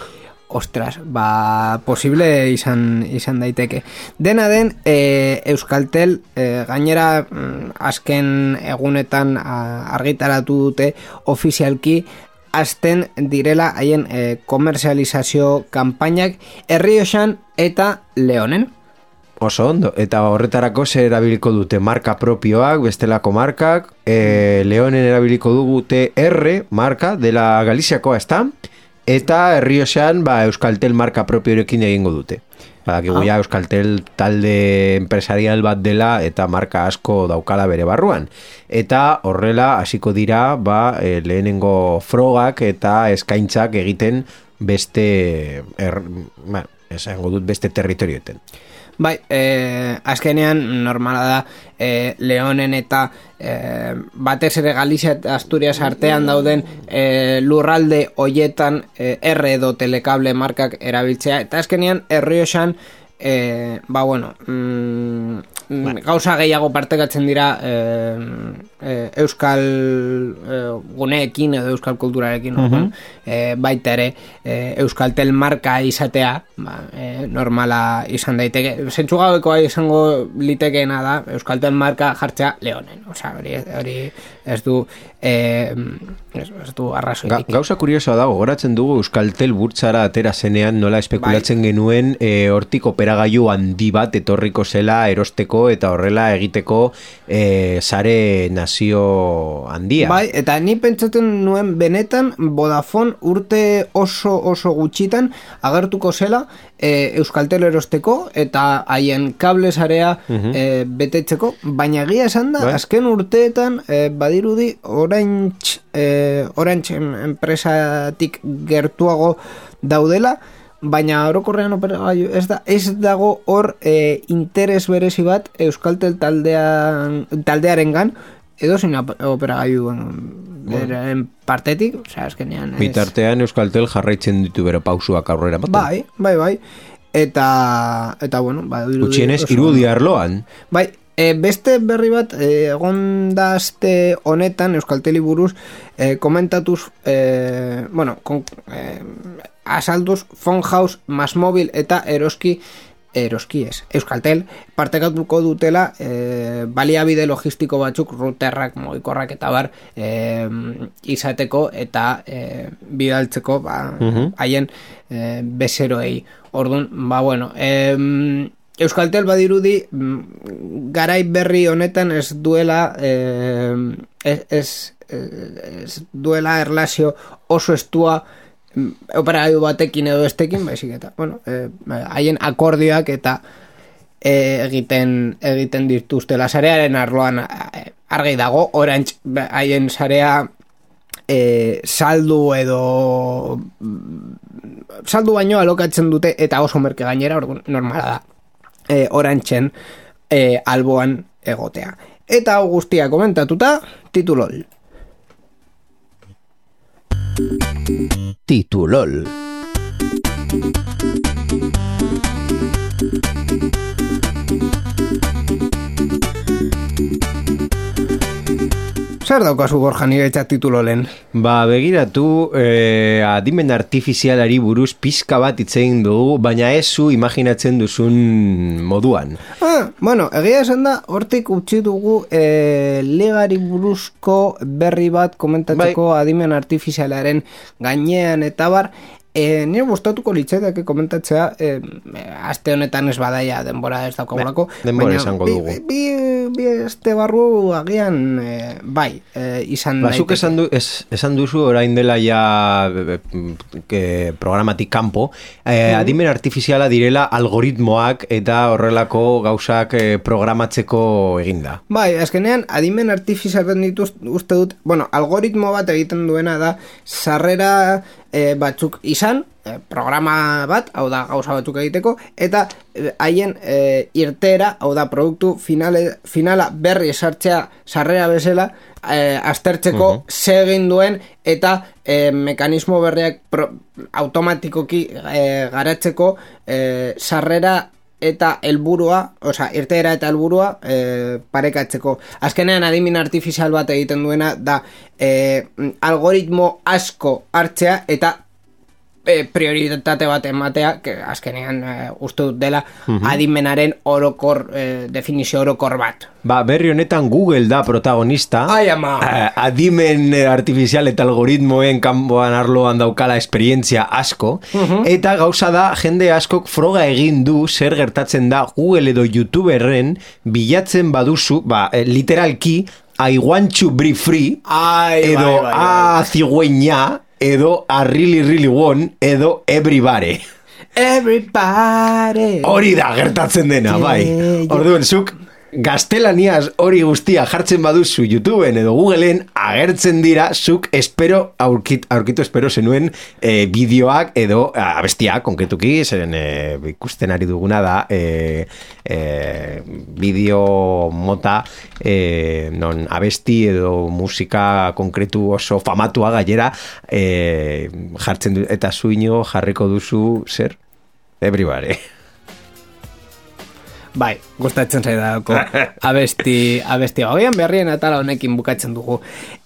Ostras, ba, posible izan, izan daiteke. Dena den, e, Euskaltel e, gainera mm, azken egunetan a, argitaratu dute ofizialki hasten direla haien e, komerzializazio kanpainak Errioxan eta Leonen. Oso ondo, eta horretarako zer erabiliko dute marka propioak, bestelako markak, e, Leonen erabiliko dute R marka dela Galiziakoa, ezta? Eta Errioxan ba, Euskaltel marka propiorekin egingo dute. Badakigu ja Euskaltel talde empresarial bat dela eta marka asko daukala bere barruan. Eta horrela hasiko dira ba, e, lehenengo frogak eta eskaintzak egiten beste er, ba, esango dut beste territorioetan. Bai, eh, azkenean normala da eh, Leonen eta eh, batez ere Galizia eta Asturias artean dauden eh, lurralde hoietan eh, R edo telekable markak erabiltzea, eta azkenean Errioxan eh, ba bueno mm, bueno. gauza gehiago partekatzen dira eh, eh, Euskal eh, guneekin edo Euskal kulturarekin, uh-huh. eh, baita ere eh, Euskaltel marka izatea ba, eh, normala izan daiteke, zentzu gabekoa izango litekeena da Euskaltel marka jartzea Leonen, osea hori, hori ez du eh, ez, ez du arrazoirik. Ga, gauza kuriosoa dago, goratzen dugu Euskaltel burtsara atera zenean nola espekulatzen bai. genuen eh, hortik operagailu handi bat etorriko zela erosteko eta horrela egiteko eh, sare nazio handia. Bai, eta ni pentsatzen nuen benetan Vodafone urte oso oso gutxitan agertuko zela e, Euskaltel erosteko eta haien kable sarea uh-huh. e, betetzeko, baina egia esan da, bai. azken urteetan e, badirudi Orange, e, Orange enpresatik gertuago daudela, baina orokorrean operagailu ez da ez dago hor e, interes berezi bat Euskaltel taldean taldearengan edo zein operagailuen beren partetik, osea azkenean ez... Bitartean Euskaltel jarraitzen ditu bere pausuak aurrera baten. Bai, bai, bai. Eta eta bueno, ba gutxienez irudi arloan. Bai, e, beste berri bat e, egon da aste honetan Euskalteli buruz e, komentatuz e, bueno, kon, e, asalduz Phonhouse, Masmobil eta Eroski Eroski ez, Euskaltel partekatuko dutela e, baliabide logistiko batzuk routerrak, mugikorrak eta bar e, izateko eta e, bidaltzeko ba, uh-huh. haien e, bezeroei. Orduan, ba bueno, e, Euskaltel badirudi garai berri honetan ez duela e, ez, ez, ez duela erlazio oso estua operagailu batekin edo estekin, baizik eta, bueno, haien eh, akordioak eta eh, egiten egiten dituzte la sarearen arloan eh, argi dago, Orange haien sarea eh, saldu edo saldu baino alokatzen dute eta oso merke gainera, orduan normala da eh, Orangeen eh, alboan egotea. Eta hau guztia komentatuta, titulol. Titulol. Zer daukazu Borja niretzat titulolen? Ba, begiratu, eh, adimen artifizialari buruz pizka bat hitz egin dugu, baina ez zu imaginatzen duzun moduan. Ah, bueno, egia esan da, hortik utzi dugu eh, legari buruzko berri bat komentatzeko bai. Adimen artifizialaren gainean eta bar, E, nire gustatuko litzaidake komentatzea e, aste honetan ez badaia denbora ez daukagulako, denbora esango dugu. Bi, bi, bi este barru agian e, bai e, izan daiteke. Bazuk esan, du, es, esan duzu orain dela ja que, programatik kanpo e, mm. adimen artifiziala direla algoritmoak eta horrelako gauzak e, programatzeko eginda. Bai, azkenean adimen artifizialen dituz uste dut, bueno, algoritmo bat egiten duena da sarrera E, batzuk izan, e, programa bat, hau da gauza batzuk egiteko, eta haien e, irtera, hau da produktu finale, finala berri esartzea sarrera bezala, e, aztertzeko uh-huh. ze egin duen, eta e, mekanismo berriak pro, automatikoki e, garatzeko e, sarrera eta helburua, osea, irteera eta helburua e, parekatzeko. Azkenean adimen artifizial bat egiten duena da e, algoritmo asko hartzea eta e, prioritate bat ematea, que azkenean e, uste dut dela uh-huh. adimenaren orokor, e, definizio orokor bat. Ba, berri honetan Google da protagonista. Ai, ama! Uh, adimen artifizial eta algoritmoen kanpoan arloan daukala esperientzia asko. Uh-huh. Eta gauza da, jende askok froga egin du zer gertatzen da Google edo YouTuberren bilatzen baduzu, ba, literalki, I want to be free, Ai, edo bai, bai, bai. a cigüeña, edo a really really want, edo everybody. Everybody. Hori da gertatzen dena, bai. Orduan, zuk gaztelaniaz hori guztia jartzen baduzu YouTubeen edo Googleen agertzen dira, zuk espero, aurkit, aurkitu espero zenuen e, bideoak edo abestiak, konkretuki, zeren e, ikusten ari duguna da e, e, bideo mota e, non abesti edo musika konkretu oso famatua gainera e, jartzen du, eta zuino jarriko duzu zer? Everybody. Bai, gustatzen zaidako abesti, abesti hauean berrien atala honekin bukatzen dugu.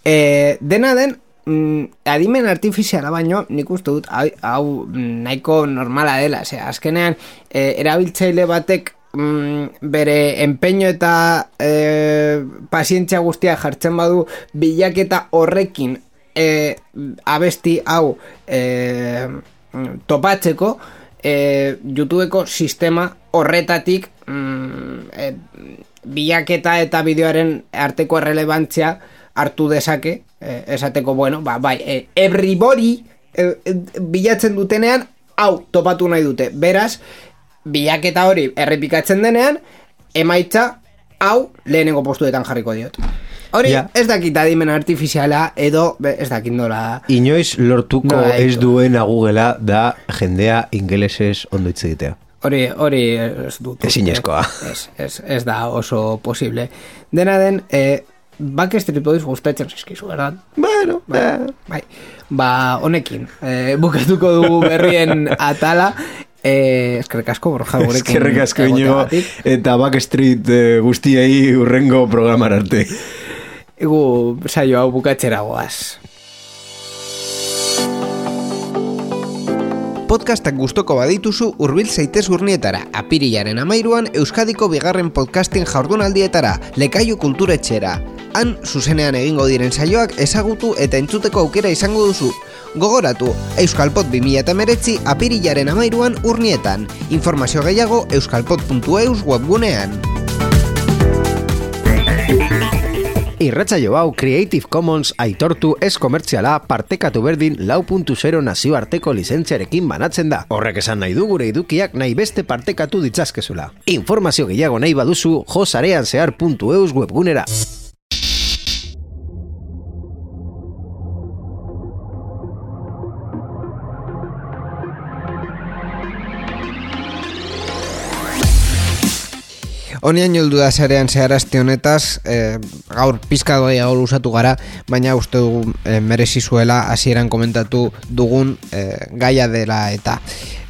E, dena den, mm, adimen artifiziala baino, nik uste dut, hau, hau nahiko normala dela. Osea, azkenean, e, erabiltzaile batek mm, bere empeño eta e, pazientzia guztia jartzen badu bilaketa horrekin e, abesti hau e, topatzeko, e, YouTubeko sistema horretatik mm, e, bilaketa eta bideoaren arteko errelebantzia hartu dezake, e, esateko, bueno, ba, bai, e, everybody e, e, bilatzen dutenean hau topatu nahi dute, beraz bilaketa hori errepikatzen denean emaitza hau lehenengo postuetan jarriko diot. Hori, ja. Ez dakit adimen artifiziala edo ez dakit nola. Inoiz lortuko nola ez duena Google'a da jendea ingelesez ondo hitz egitea. Hori, hori ez dut. Ezinezkoa. Ez, ez, ez da oso posible. Dena den, eh, Backstreet Boys gustatzen zaizkizu, verdad? Bueno, bai. bai. Ba, honekin, eh, bukatuko dugu berrien atala. Eh, eskerrik asko, Borja, gurekin. Eskerrik asko, Iñigo, eta Backstreet eh, guztiei urrengo programar arte. Egu saio hau bukatzera goaz. Podcastak gustoko badituzu hurbil zaitez Urnietara, apirilaren amairuan Euskadiko bigarren podcasting jardunaldietara, Lekaiu kulturetxera. Han, zuzenean egingo diren saioak ezagutu eta entzuteko aukera izango duzu. Gogoratu, Euskalpod bi mila hemeretzi apirilaren amairuan Urnietan. Informazio gehiago euskalpod puntu eus webgunean. Irratsaio hau Creative Commons aitortu ez komertziala partekatu berdin lau puntu zero nazioarteko lizentziarekin banatzen da. Horrek esan nahi du gure edukiak nahi beste partekatu ditzazkezula. Informazio gehiago nahi baduzu jo sareanzehar puntu eus webgunera. Honian joldu da zarean zeharazte honetaz, e, gaur pizka gehiago luzatu gara, baina uste dugu e, merezi zuela hasieran komentatu dugun e, gaia dela eta.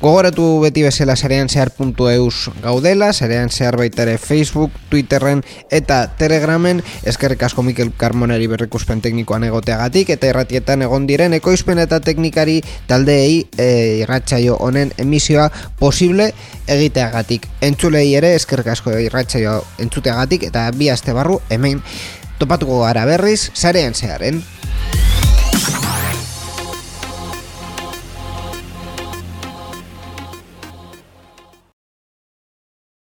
Gogoratu beti bezala zarean zehar puntu eus gaudela, zarean zehar baita ere Facebook, Twitterren eta Telegramen, eskerrik asko Mikel Carmoneri berrikuspen teknikoan egoteagatik, eta irratietan egon diren ekoizpen eta teknikari taldeei e, irratsaio honen emisioa posible egiteagatik. Entzulei ere eskerrik asko irratsaio entzuteagatik, eta bi aste barru hemen topatuko gara berriz zarean zeharen.